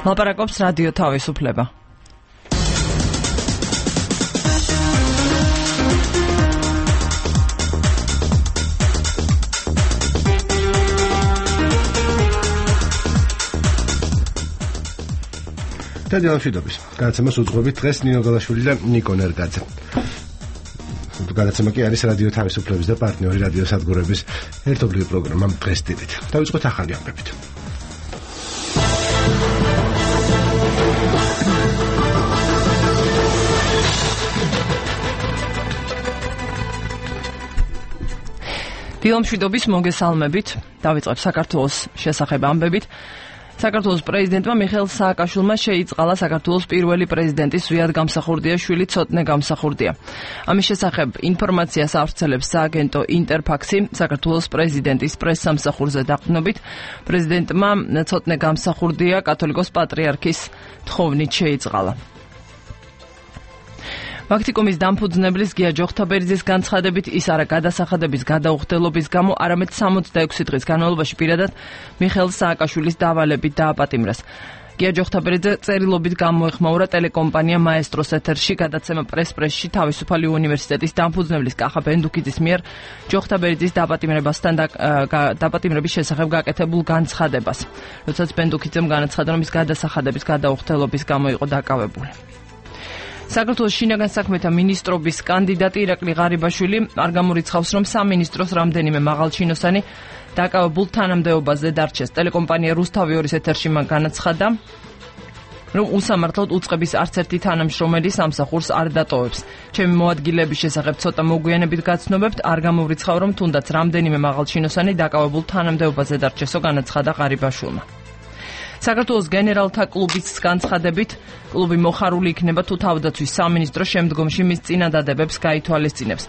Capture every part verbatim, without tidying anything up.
ლაპარაკობს რადიო თავისუფლება. დიალოგის განაცემას უძღვებით დღეს ნინო გალაშვილი და ნიკო ნერგაძე. განაცემა კი არის რადიო თავისუფლების და პარტნიორი რადიო სადგურების ერთობლივი პროგრამა დღეს დილით. დავიწყოთ ახალი ამბებით. დილომშვიდობის მოგესალმებით. დავიწყებ საქართველოს შესახებ ამბებით. საქართველოს პრეზიდენტმა მიხეილ სააკაშვილმა შეიწყალა საქართველოს პირველი პრეზიდენტის ზვიად გამსახურდია შვილი ცოტნე გამსახურდია. ამის შესახებ ინფორმაციას ავრცელებს სააგენტო ინტერფაქსი. საქართველოს პრეზიდენტის პრესსამსახურზე დაყრდნობით პრეზიდენტმა ცოტნე გამსახურდია კათოლიკოს პატრიარქის თხოვნით შეიწყალა. ვაქტიკუმის დამფუძნებლის გია ჯოხთაბერიძის განცხადებით ის არა გადასახადების გადაუხდელობის გამო, არამედ სამოცდაექვსი დღის განმავლობაში პირადად მიხეილ სააკაშვილის დავალებით დააპატიმრეს. გია ჯოხთაბერიძე წერილობით გამოეხმაურა ტელეკომპანია მაესტროს ეთერში გადაცემა პრეს-პრესში თავისუფალი უნივერსიტეტის დამფუძნებლის კახა ბენდუქიძის მიერ ჯოხთაბერიძის დაპატიმრებასთან დაპატიმრების შესახებ გაკეთებულ განცხადებას. როდესაც ბენდუქიძემ განაცხადა, რომ ის გადასახადების გადაუხდელობის გამო იყო დაკავებული. საქართველოს შინაგან საქმეთა მინისტრობის კანდიდატი ირაკლი ღარიბაშვილი არ გამორიცხავს, რომ სამინისტროს რამდენიმე მაღალჩინოსანი დაკავებულ თანამდებობაზე დარჩეს. ტელეკომპანია რუსთავი ორის ეთერში მან განაცხადა, რომ უსამართლოდ უწყების არც ერთი თანამშრომელი სამსახურს არ დატოვებს. ჩემი მოადგილეების შესახებ ცოტა მოგვიანებით გაცნობებთ, არ გამორიცხავ, რომ თუნდაც რამდენიმე მაღალჩინოსანი დაკავებულ თანამდებობაზე დარჩესო, განაცხადა ღარიბაშვილმა. საქართველოს გენერალთა კლუბის განცხადებით, კლუბი მოხარული იქნება თუ თავდაცვის სამინისტრო შემდგომში მის წინადადებებს გაითვალისწინებს.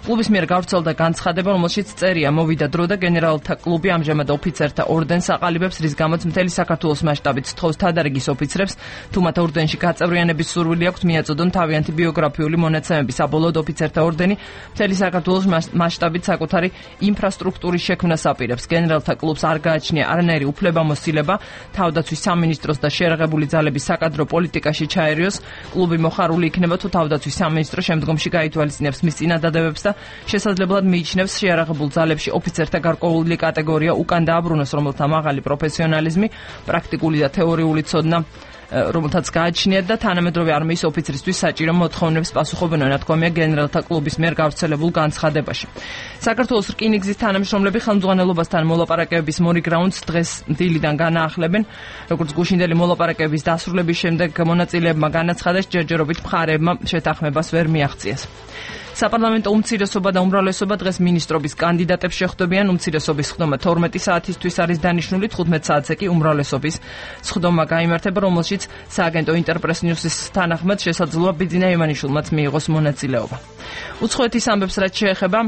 კლუბის მიერ გავრცელდა განცხადება, რომელშიც წერია მოვიდა დრო და გენერალთა კლუბი ამჟამად ოფიცერთა ორდენს აყალიბებს, რის გამოც მთელი საქართველოს მასშტაბით სთხოვს თადარიგის ოფიცრებს, თუ მათ ორდენში გაწევრიანების სურვილი აქვთ, მიაწოდონ თავიანთი ბიოგრაფიული მონაცემები. საბოლოოდ ოფიცერთა ორდენი მთელი საქართველოს მასშტაბით საკუთარი ინფრასტრუქტურის შექმნას აპირებს. გენერალთა კლუბს არ გააჩნია არანაირი უფლებამოსილება თავდაცვის სამინისტროს და შერაღებული ძალების საკადრო პოლიტიკაში ჩაერიოს. კლუბი მოხარული იქნება თუ თავდაცვის სამინისტრო შემდგომში გაითვალისწინებს მის წინადადებებს და შესაძლებლად მიიჩნევს შეარაღებულ ძალებში ოფიცერთა გარკვეული კატეგორია უკან დააბრუნოს, რომელთა მაღალი პროფესიონალიზმი, პრაქტიკული და თეორიული ცოდნა რომელთაც გააჩნიათ და თანამედროვე არმიის ოფიცრისთვის საჭირო მოთხოვნებს პასუხობენ, ნათქვამია გენერალთა კლუბის მიერ გავრცელებულ განცხადებაში. საქართველოს რკინიგზის თანამშრომლები ხელმძღვანელობასთან მოლაპარაკებების მორიგრაუნდს დღეს დილიდან განაახლებენ. როგორც გუშინდელი მოლაპარაკებების დასრულების შემდეგ მონაწილეებმა განაცხადეს, ჯერჯერობით მხარეებმა შეთანხმებას ვერ მიაღწიეს. საპარლამენტო უმცირესობა და უმრავლესობა დღეს მინისტრობის კანდიდატებს შეხვდებიან. უმცირესობის ხდომა თორმეტი საათისთვის არის დანიშნული, თხუთმეტ საათზე კი უმრავლესობის ხდომა გაიმართება, რომელშიც სააგენტო ინტერპრეს ნიუსის თანახმად შესაძლოა ბიძინა ივანიშვილმაც მიიღოს მონაწილეობა. უცხოეთის ამბებს რაც შეეხება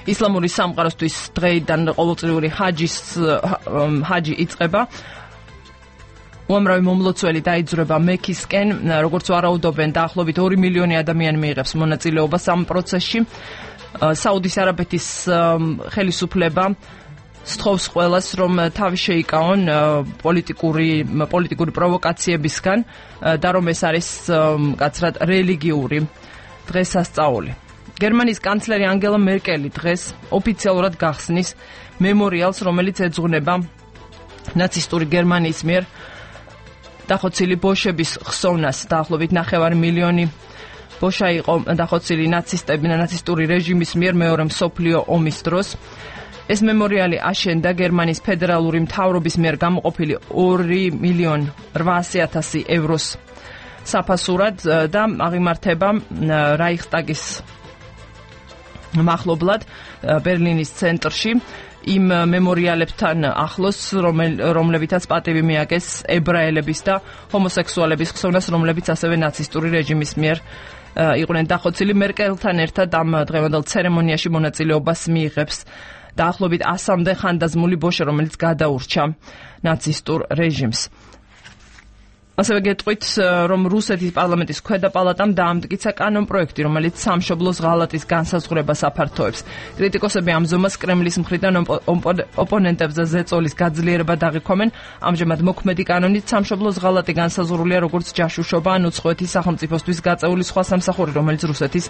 ისლამური სამყაროსთვის დღეიდან ყოველწლიური ჰაჯის ჰაჯი იწყება. უამრავი მომლოცველი დაიძრება მექისკენ, როგორც ვარაუდობენ, დაახლოებით ორი მილიონი ადამიანი მიიღებს მონაწილეობას ამ პროცესში. საუდის არაბეთის ხელისუფლება სთხოვს ყველას, რომ თავი შეიკავონ პოლიტიკური პოლიტიკური პროვოკაციებისგან და რომ ეს არის კაცრად რელიგიური დღესასწაული. გერმანიის კანცლერი ანგელა მერკელი დღეს ოფიციალურად გახსნის მემორიალს, რომელიც ეძღვნება ნაცისტური გერმანიის მიერ დახოცილი ბოშების ხსოვნას. დაახლოებით ნახევარი მილიონი ბოშა იყო დახოცილი ნაცისტები და ნაცისტური რეჟიმის მიერ მეორე მსოფლიო ომის დროს. ეს მემორიალი აშენდა გერმანიის ფედერალური მთავრობის მიერ გამოყოფილი ორი მილიონი რვაასი ათასი ევროს საფასურად და აღიმართება რაიხსტაგის მახლობლად ბერლინის ცენტრში. იმ მემორიალებთან ახლოს, რომლებითაც პატივი მიაგეს ებრაელების და ჰომოსექსუალების ხსოვნას, რომლებიც ასევე ნაცისტური რეჟიმის მიერ იყვნენ დახოცილი. მერკელთან ერთად ამ დღევანდელ ცერემონიაში მონაწილეობას მიიღებს დაახლოებით ასამდე ხანდაზმული ბოშა, რომელიც გადაურჩა ნაცისტურ რეჟიმს. ასევე გეტყვით, რომ რუსეთის პარლამენტის ქვედა პალატამ დაამტკიცა კანონპროექტი, რომელიც სამშობლოს ღალატის განსაზღვრებას აფართოებს. კრიტიკოსები ამ ზომას კრემლის მხრიდან ოპონენტებზე ზეწოლის გაძლიერება დაღიქვამენ. ამჟამად მოქმედი კანონით სამშობლოს ღალატი განსაზღვრულია როგორც ჯაშუშობა ან უცხოეთის სახელმწიფოსთვის გაწეული სხვა სამსახური, რომელიც რუსეთის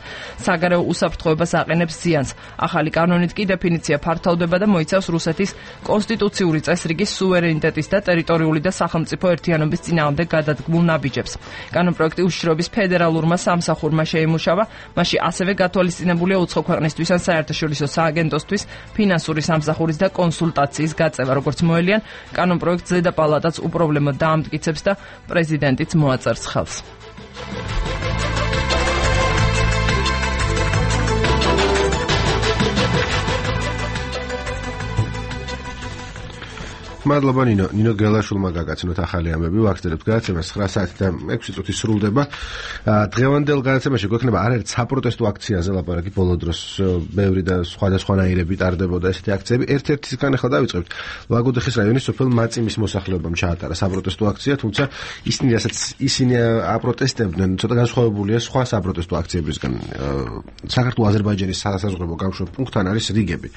საგარეო უსაფრთხოებას აყენებს ზიანს. ახალი კანონით კი დეფინიცია ფართოვდება და მოიცავს რუსეთის კონსტიტუციური წესრიგის სუვერენიტეტის და ტერიტორიული და სახელმწიფო ერთიანობის წინააღმდეგ გადადგმულ ნაბიჯებს. კანონპროექტი უშიშროების ფედერალურმა სამსახურმა შეიმუშავა, მასში ასევე გათვალისწინებულია უცხო ქვეყნისთვის ან საერთაშორისო სააგენტოსთვის ფინანსური სამსახურის და კონსულტაციის გაწევა, როგორც მოელიან, კანონპროექტს ზედა პალატაც უპრობლემოდ დაამტკიცებს და პრეზიდენტიც მოაწერს ხელს. მადლობა ნინო ნინო გელაშვილმა გაგაცნოთ ახალი ამბები ვაგრძელებთ გადაცემას ცხრა საათი და ექვსი წუთი სრულდება დღევანდელ გადაცემაში გვექნება არაერთ საპროტესტო აქციაზე ლაპარაკი ბოლო დროს ბევრი და სხვადასხვანაირები ტარდებოდა ესეთი აქციები ერთ-ერთისგან ახლა დავიწყებთ ლაგოდეხის რაიონის სოფელ მაწიმის მოსახლეობამ ჩაატარა საპროტესტო აქცია თუმცა ისინი რასაც ისინი აპროტესტებდნენ ცოტა განსხვავებულია სხვა საპროტესტო აქციებისგან საქართველოს აზერბაიჯანის სასაზღვრო გამშვებ პუნქტთან არის რიგები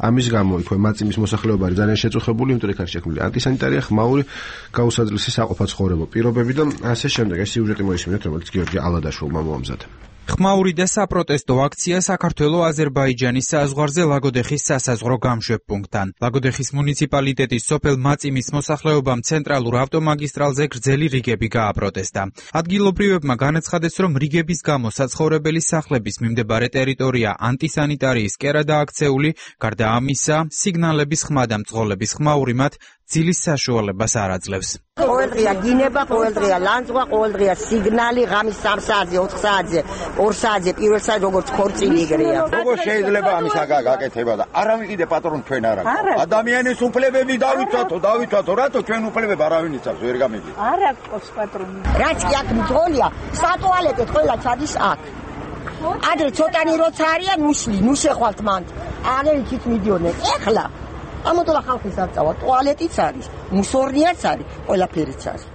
ამის გამო იქვე მაწიმის მოსახლეობა არის ძალიან შეწუხებული იმიტომ რომ შექმნილი ანტისანიტარია ხმაური გაუსაძლისი საყოფაცხოვრებო პირობები და ასე შემდეგ ეს სიუჟეტი მოისმინეთ რომელიც გიორგი ალადაშვილმა მოამზადა ხმაური და საპროტესტო აქცია საქართველო-აზერბაიჯანის საზღვარზე ლაგოდეხის სასაზღვრო გამშვებ პუნქტთან. ლაგოდეხის მუნიციპალიტეტის სოფელ მაწიმის მოსახლეობამ ცენტრალურ ავტომაგისტრალზე გრძელი რიგები გააპროტესტა. ადგილობრივებმა განაცხადეს, რომ რიგების გამო საცხოვრებელი სახლების მიმდებარე ტერიტორია ანტისანიტარიის კერადაა აქცეული, გარდა ამისა, სიგნალების ხმა და მწყობრების ხმაური მათ ძილის საშუალებას არ აძლევს. ყოველდღია გინება, ყოველდღია ლანძღვა, ყოველდღია სიგნალი, ღამის სამ საათზე, ოთხ საათზე, ორ საათზე, პირველ საათზე როგორც ქორწილი იგრეა. როგორ შეიძლება ამის გაკეთება და არავინ კიდე პატრონ ჩვენ არ აქვს. ადამიანის უფლებები დავითვათო, დავითვათო, რატო ჩვენ უფლებები არავინ იცავს, ვერ გამიდი. არ აქვს პატრონი. რაც კი აქ მძღოლია, სატუალეტეთ ყველა ჩადის აქ. ადრე ცოტანი როცა არიან, მუშლი, ნუ შეხვალთ მან. აღერ იქით მიდიოდნენ. ეხლა ამოდლა ხალხის არ წავა, ტუალეტიც არის, მუსორნიაც არის, ყველაფერიც არის.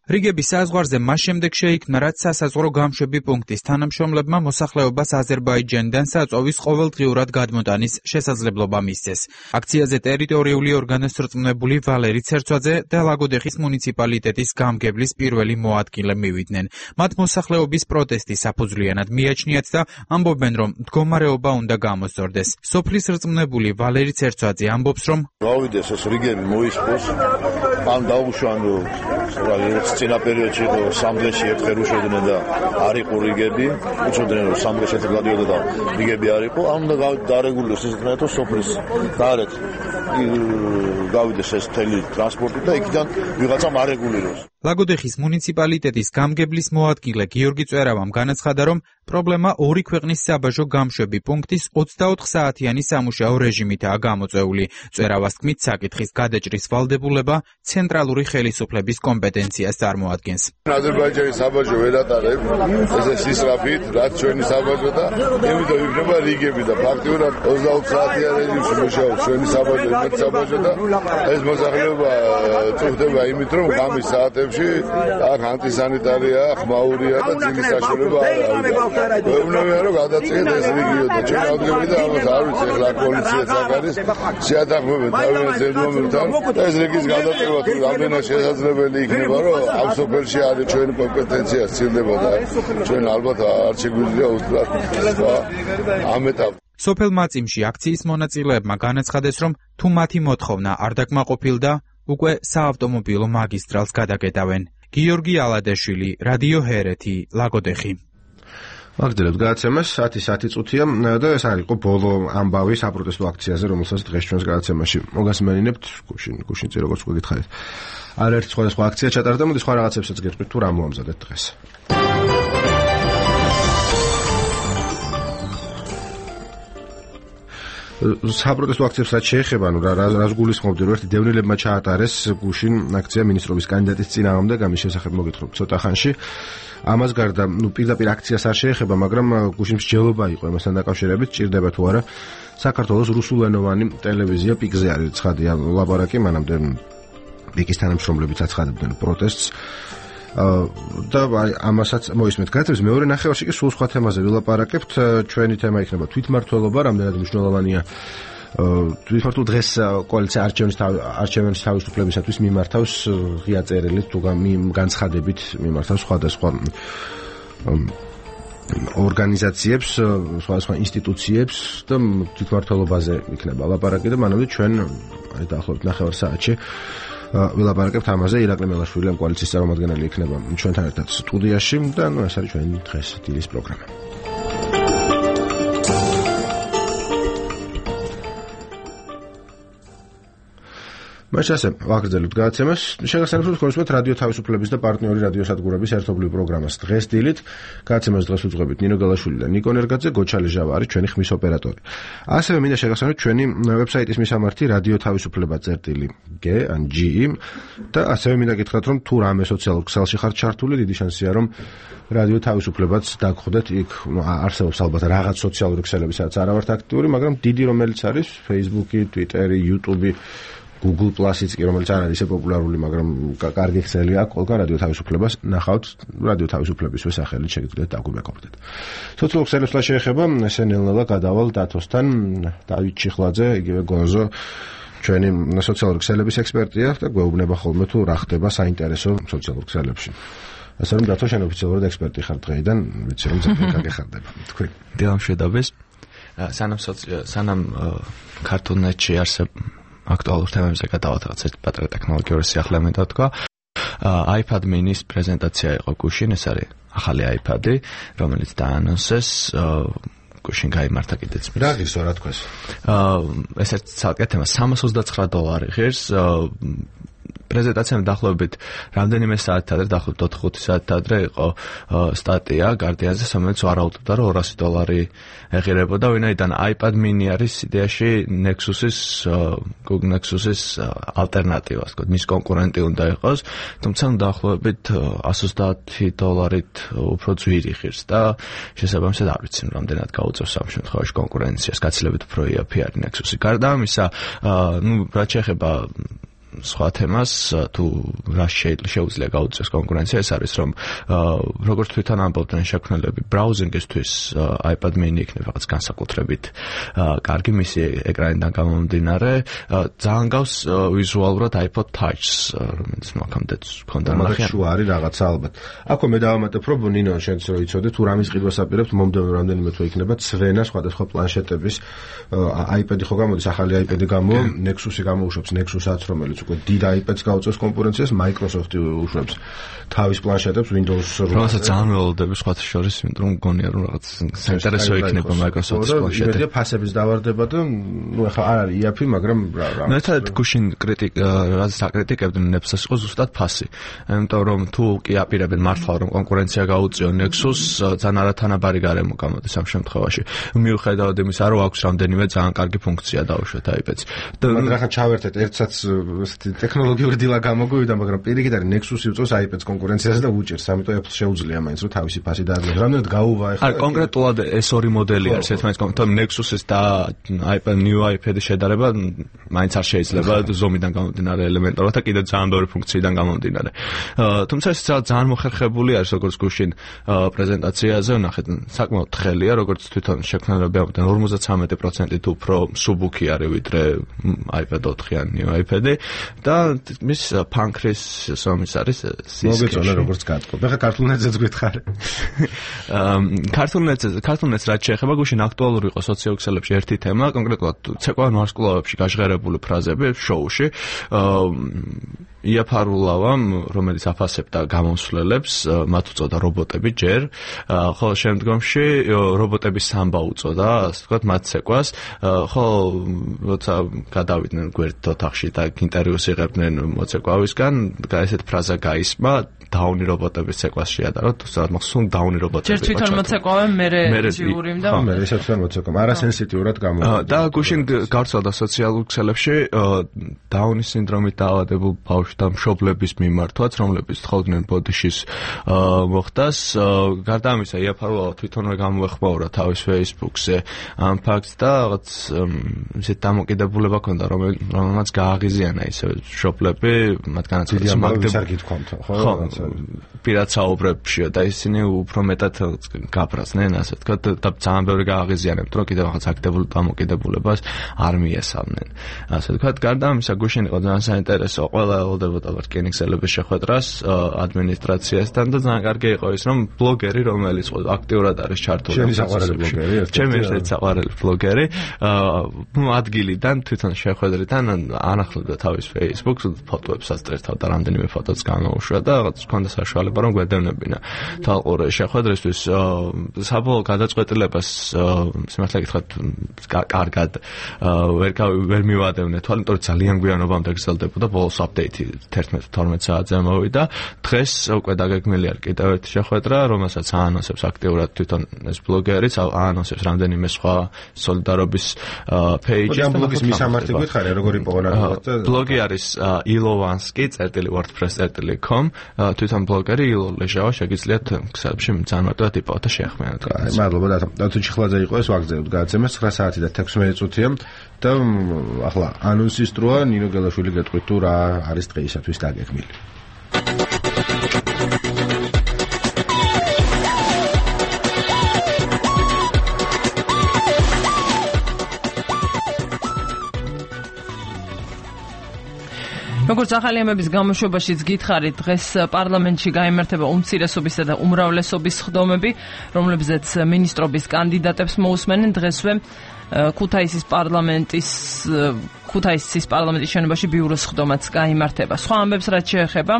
რიგების საზღვარზე მას შემდეგ შეიქმნა, რაც სასაზღვრო გამშვები პუნქტის თანამშრომლებმა მოსახლეობას აზერბაიჯანიდან საწვავის ყოველდღიურად გადმოტანის შესაძლებლობა მისცეს. აქციაზე ტერიტორიული ორგანოს რწმუნებული ვალერი ცერცვაძე და ლაგოდეხის მუნიციპალიტეტის გამგებლის პირველი მოადგილე მივიდნენ. მათ მოსახლეობის პროტესტი საფუძვლიანად მიაჩნიათ და ამბობენ, რომ მდგომარეობა უნდა გამოსწორდეს. სოფლის რწმუნებული ვალერი ცერცვაძე ამბობს, რომ გავიდეს ეს რიგები მოისპოს, ან დაუშვან წინა პერიოდში სამ დღეში ერთხელ უშვედნენ და არ იყო რიგები, უწოდნენ რომ სამ დღეში ერთხელ გადიოდა და რიგები არ იყო, ან უნდა დარეგულიროს ეს თქო სოფლის გარეთ გავიდეს ეს თელი ტრანსპორტი და იქიდან ვიღაცამ არეგულიროს. ლაგოდეხის მუნიციპალიტეტის გამგებლის მოადგილე გიორგი წვერავამ განაცხადა, რომ პრობლემა ორი ქვეყნის საბაჟო გამშვები პუნქტის ოცდაოთხ საათიანი სამუშაო რეჟიმითაა გამოწვეული. წვერავას თქმით, საკითხის გადაჭრის ვალდებულება ცენტრალური ხელისუფლების კომპეტენციას წარმოადგენს. აზერბაიჯანის საბაჟო ვერ ატარებ, ესე სისწრაფით, რაც ჩვენი საბაჟო და ემიტომ იქნება რიგები და ფაქტიურად ოცდაოთხ საათიან რეჟიმში მუშაობს ჩვენი საბაჟო, იმედი საბაჟო და ეს მოსახლეობა წუხდება იმით, რომ ღამის საათებში აქ ანტისანიტარია, ხმაურია და ძილის საშუალება არ არის. ვეუბნებიან რომ გადაწყვეტ ეს რეგიონი და ჩვენ ავდგები და ამას არ ვიცი ახლა პოლიციაც აქ არის შეადაღმებენ თავიანთ ზედმომებთან და ეს რეგიონის გადაწყვეტა თუ რამდენად შესაძლებელი იქნება რომ ამ სოფელში არის ჩვენი კომპეტენცია სცილდება და ჩვენ ალბათ არ შეგვიძლია უსწრაფ ამ ეტაპში. სოფელ მაწიმში აქციის მონაწილეებმა განაცხადეს, რომ თუ მათი მოთხოვნა არ დაკმაყოფილდა, უკვე საავტომობილო მაგისტრალს გადაკეტავენ. გიორგი ალადაშვილი, რადიო ჰერეთი, ლაგოდეხი. ვაგრძელებთ გადაცემას, საათი საათი წუთია და ეს არის იყო ბოლო ამბავი საპროტესტო აქციაზე, რომელსაც დღეს ჩვენს გადაცემაში მოგასმენინებთ. გუშინ, გუშინწი როგორც გითხარით. არაერთ სხვადასხვა აქცია ჩატარდა, მოდი სხვა რაღაცებსაც გეტყვით თუ რა მოამზადეთ დღეს. საპროტესტო აქციებს რაც შეეხება, ნუ რა რას გულისხმობდი, რომ ერთი დევნილებმა ჩაატარეს გუშინ აქცია მინისტრობის კანდიდატის წინააღმდეგ, ამის შესახებ მოგითხრობ ცოტა ხანში. ამას გარდა, ნუ პირდაპირ აქციას არ შეეხება, მაგრამ გუშინ მსჯელობა იყო ამასთან დაკავშირებით, ჭირდება თუ არა საქართველოს რუსულენოვანი ტელევიზია პიკზე არის ცხადია ლაპარაკი, მანამდე პიკის თანამშრომლებიც აცხადებდნენ პროტესტს. და აი ამასაც მოისმენთ გადაცემის მეორე ნახევარში კი სულ სხვა თემაზე ვილაპარაკებთ. ჩვენი თემა იქნება თვითმმართველობა, რამდენად მნიშვნელოვანია თვითმმართველ დღეს კოალიცია არჩევნის არჩევნის თავისუფლებისათვის მიმართავს ღია წერილით თუ განცხადებით მიმართავს სხვადასხვა ორგანიზაციებს, სხვადასხვა ინსტიტუციებს და თვითმმართველობაზე იქნება ლაპარაკი და მანამდე ჩვენ აი დაახლოებით ნახევარ საათში ვილაპარაკებთ ამაზე. ირაკლი მელაშვილი ამ კოალიციის წარმომადგენელი იქნება ჩვენთან ერთად სტუდიაში და ნუ ეს არის ჩვენი დღეს დილის პროგრამა. მას ასე ვაგრძელებთ გადაცემას. შეგახსენებთ კონსულტანტ რადიო თავისუფლების და პარტნიორი რადიოსადგურების ერთობლივ პროგრამას დღეს დილით. გადაცემას დღეს უძღვებით ნინო გელაშვილი და ნიკო ნერგაძე, გოჩალი ჟავა არის ჩვენი ხმის ოპერატორი. ასევე მინდა შეგახსენოთ ჩვენი ვებსაიტის მისამართი რადიო თავისუფლება წერტილი G ან G და ასევე მინდა გითხრათ რომ თუ რამე სოციალურ ქსელში ხართ ჩართული, დიდი შანსია რომ რადიო თავისუფლებაც დაგხვდეთ. იქ არსებობს ალბათ რაღაც სოციალური ქსელები, სადაც არა ვართ აქტიური, მაგრამ დიდი რომელიც არის Facebook-ი, Twitter-ი, YouTube-ი, Google Plus-იც კი რომელიც არ არის ისე პოპულარული, მაგრამ კარგი ქსელი აქვს, ყველგან რადიო თავისუფლებას ნახავთ, რადიო თავისუფლების სახელით შეგიძლიათ დაგვიმეკობდეთ. სოციალურ ქსელებს რა შეეხება, ესე ნელ-ნელა გადავალ დათოსთან, დავით ჩიხლაძე, იგივე გონზო, ჩვენი სოციალური ქსელების ექსპერტია და გვეუბნება ხოლმე თუ რა ხდება საინტერესო სოციალურ ქსელებში. ასე რომ დათო შენ ოფიციალურად ექსპერტი ხარ დღეიდან, ვიცი რომ ძალიან გაგეხარდება. თქვი. დილამ შედაბეს. სანამ სანამ ქართულნეტში არსებ აქტუალურ თემებზე გადავათ რაღაც ერთ პატარა ტექნოლოგიური სიახლე მე თქვა. iPad mini-ის პრეზენტაცია იყო გუშინ, ეს არის ახალი iPad-ი, რომელიც დაანონსეს გუშინ გაიმართა კიდეც. რა გისო რა თქვას? ეს ერთ ცალკე თემა სამას ოცდაცხრა დოლარი ღირს. პრეზენტაციამ დაახლოებით რამდენიმე საათი ადრე, დაახლოებით ოთხი საათი ადრე იყო სტატია Guardian-ზე, რომელიც ვარაუდობდა, რომ ორასი დოლარი ეღირებოდა, ვინაიდან iPad mini არის იდეაში Nexus-ის, Google Nexus-ის ალტერნატივა, ასე ვთქვათ, მის კონკურენტი უნდა იყოს, თუმცა დაახლოებით εκατს ოცდაათი დოლარით უფრო ძვირი ღირს და შესაბამისად არ ვიცი, რამდენად გაუწევს ამ შემთხვევაში კონკურენციას, გაცილებით უფრო იაფი არის Nexus-ი. გარდა ამისა, ნუ რაც შეეხება სხვა თემას, თუ რა შეუძლია გაუწევს კონკურენცია, ეს არის რომ როგორც თვითონ ამბობდნენ შექმნელები, ბრაუზინგისთვის iPad mini იქნება რაღაც განსაკუთრებით კარგი მისი ეკრანიდან გამომდინარე, ძალიან გავს ვიზუალურად iPod Touch-ს, რომელიც მოხამდეც ქონდა ნახე. შუა არის რაღაცა ალბათ. აქვე მე დავამატებ, რომ ნინო შენც რო იცოდე, თუ რამის ყიდვას აპირებთ, მომდევნო რამდენიმე თვე იქნება ცვენა სხვადასხვა პლანშეტების iPad-ი ხო გამოდის, ახალი iPad-ი გამო, Nexus-ი გამოუშვებს, Nexus-აც რომელიც უკვე დიდ iPad-ს გაუწევს კონკურენციას, Microsoft-ი უშვებს თავის პლანშეტებს Windows რვა. რომელსაც ძალიან ველოდები სხვათა შორის, იმიტომ რომ მგონია რომ რაღაც საინტერესო იქნება Microsoft-ის პლანშეტი. იმედია ფასების დავარდება და ნუ ეხლა არ არის იაფი, მაგრამ რა რა. მეტად გუშინ კრიტიკა, რაც საკრიტიკებდნენ Nexus-ს იყო ზუსტად ფასი. იმიტომ რომ თუ კი აპირებენ მართლა რომ კონკურენცია გაუწიონ Nexus-ს, ძალიან არათანაბარი გარემო გამოდის ამ შემთხვევაში. მიუხედავად იმისა, რომ აქვს რამდენიმე ძალიან კარგი ფუნქცია დაუშვათ iPad-ს. და მაგრამ ხა ჩავერთეთ ერთსაც ტექნოლოგიური დილა გამოგვივიდა, მაგრამ პირიქით არის Nexus-ი უწევს iPad-ს კონკურენციაზე და უჭერს, ამიტომ Apple შეუძლია მაინც რომ თავისი ფასი დაადგინოს. რამდენად გაუვა ეხლა? არა, კონკრეტულად ეს ორი მოდელი არის, ერთმანეთს კონკრეტულად Nexus-ის და iPad new iPad-ის შედარება მაინც არ შეიძლება ზომიდან გამომდინარე ელემენტარულად და კიდევ ძალიან ბევრი ფუნქციიდან გამომდინარე. თუმცა ეს ძალიან მოხერხებული არის, როგორც გუშინ პრეზენტაციაზე ვნახეთ, საკმაოდ თხელია, როგორც თვითონ შექმნელები ამბობდნენ, ორმოცდათვრამეტი პროცენტით უფრო მსუბუქი არის ვიდრე iPad ოთხი ან new iPad-ი. და მის ფანქრის სომის არის სისქე. მოგეწონა როგორც გატყობ. ეხლა ქართულნეტზეც გითხარ. ქართულნეტზე, ქართულნეტს რაც შეეხება, გუშინ აქტუალური იყო სოციალურ ქსელებში ერთი თემა, კონკრეტულად ცეკვავენ ვარსკვლავებში გაჟღერებული ფრაზები შოუში. იაფარულავამ, რომელიც აფასებდა გამოსვლელებს, მათ უწოდა რობოტები ჯერ, ხოლო შემდგომში რობოტების სამბა უწოდა, ასე ვთქვათ, მათ ცეკვას, ხოლო როცა გადავიდნენ გვერდით ოთახში და ინტერვიუს იღებდნენ მოცეკვავისგან, ესეთ ფრაზა გაისმა, დაუნი რობოტების ცეკვას შეადაროთ, თუმცა მახსოვს დაუნი რობოტები. ჯერ თვითონ მოცეკვავენ, მერე ჯიურიმ და მერე ისე თვითონ მოცეკვავენ, არასენსიტიურად გამოვიდა. და გუშინ გავრცელდა სოციალურ ქსელებში დაუნის სინდრომით დაავადებულ ბავშვ ბავშვი და მშობლების მიმართვაც, რომლებიც თხოვდნენ ბოდიშის მოხდას. გარდა ამისა, იაფარულავა თვითონვე გამოეხმაურა თავის Facebook-ზე ამ ფაქტს და რაღაც ისეთ დამოკიდებულება ჰქონდა, რომელმაც გააღიზიანა ისე მშობლები, მათგანაც ხო, პირად საუბრებშია და ისინი უფრო მეტად გაფრაზდნენ, ასე ვთქვათ, და ძალიან ბევრი გააღიზიანებთ, რომ კიდევ რაღაც აქტიურ დამოკიდებულებას არ მიესალმნენ. ასე ვთქვათ, გარდა ამისა, გუშინ იყო ძალიან საინტერესო, ყველა ელოდებოდა რკინიგზელების შეხვედრას ადმინისტრაციასთან და ძალიან კარგი იყო ის, რომ ბლოგერი, რომელიც აქტიურად არის ჩართული. ჩემი საყვარელი ბლოგერი, ჩემი ერთ-ერთი საყვარელი ბლოგერი, ადგილიდან თვითონ შეხვედრიდან ანახლებდა თავის Facebook-ს, ფოტოებს ასწერთავდა, რამდენიმე ფოტოც გამოუშვა და რაღაც ჰქონდა საშუალება, რომ გვედევნებინა თვალყური შეხვედრისთვის. საბოლოო გადაწყვეტილებას სიმართლე გითხრათ, კარგად ვერ ვერ მივადევნე თვალ, იმიტომ რომ ძალიან გვიანობამდე გრძელდებოდა, ბოლოს აპდეიტი თერთმეტ თორმეტ საათზე მოვიდა. დღეს უკვე დაგეგმილია კიდევ ერთი შეხვედრა, რომელსაც აანონსებს აქტიურად თვითონ ეს ბლოგერიც, აანონსებს რამდენიმე სხვა სოლიდარობის პეიჯი. ამ ბლოგის მისამართი გითხარი, როგორ იპოვნა? ბლოგი არის ilovanski წერტილი wordpress წერტილი com. თვითონ ბლოგერი ილო ლეჟავა, შეგიძლიათ ქსელებში ძალიან მარტივად იპოვოთ და შეახმიანოთ. აი, მადლობა და დათო ჩიხლაძე იყო ეს ვაგზელებთ გადაცემას ცხრა საათი და თექვსმეტ წუთია და ახლა ანონსის დროა, ნინო გელაშვილი გეტყვით თუ რა არის დღეისათვის დაგეგმილი. როგორც ახალი ამების გამოშვებაშიც გითხარით, დღეს პარლამენტში გაიმართება უმცირესობისა და უმრავლესობის სხდომები, რომლებზეც მინისტრობის კანდიდატებს მოусმენენ. დღესვე ქუთაისის პარლამენტის ქუთაისის პარლამენტის შენობაში ბიუროს სხდომაც გაიმართება. სხვა ამბებს რაც შეეხება,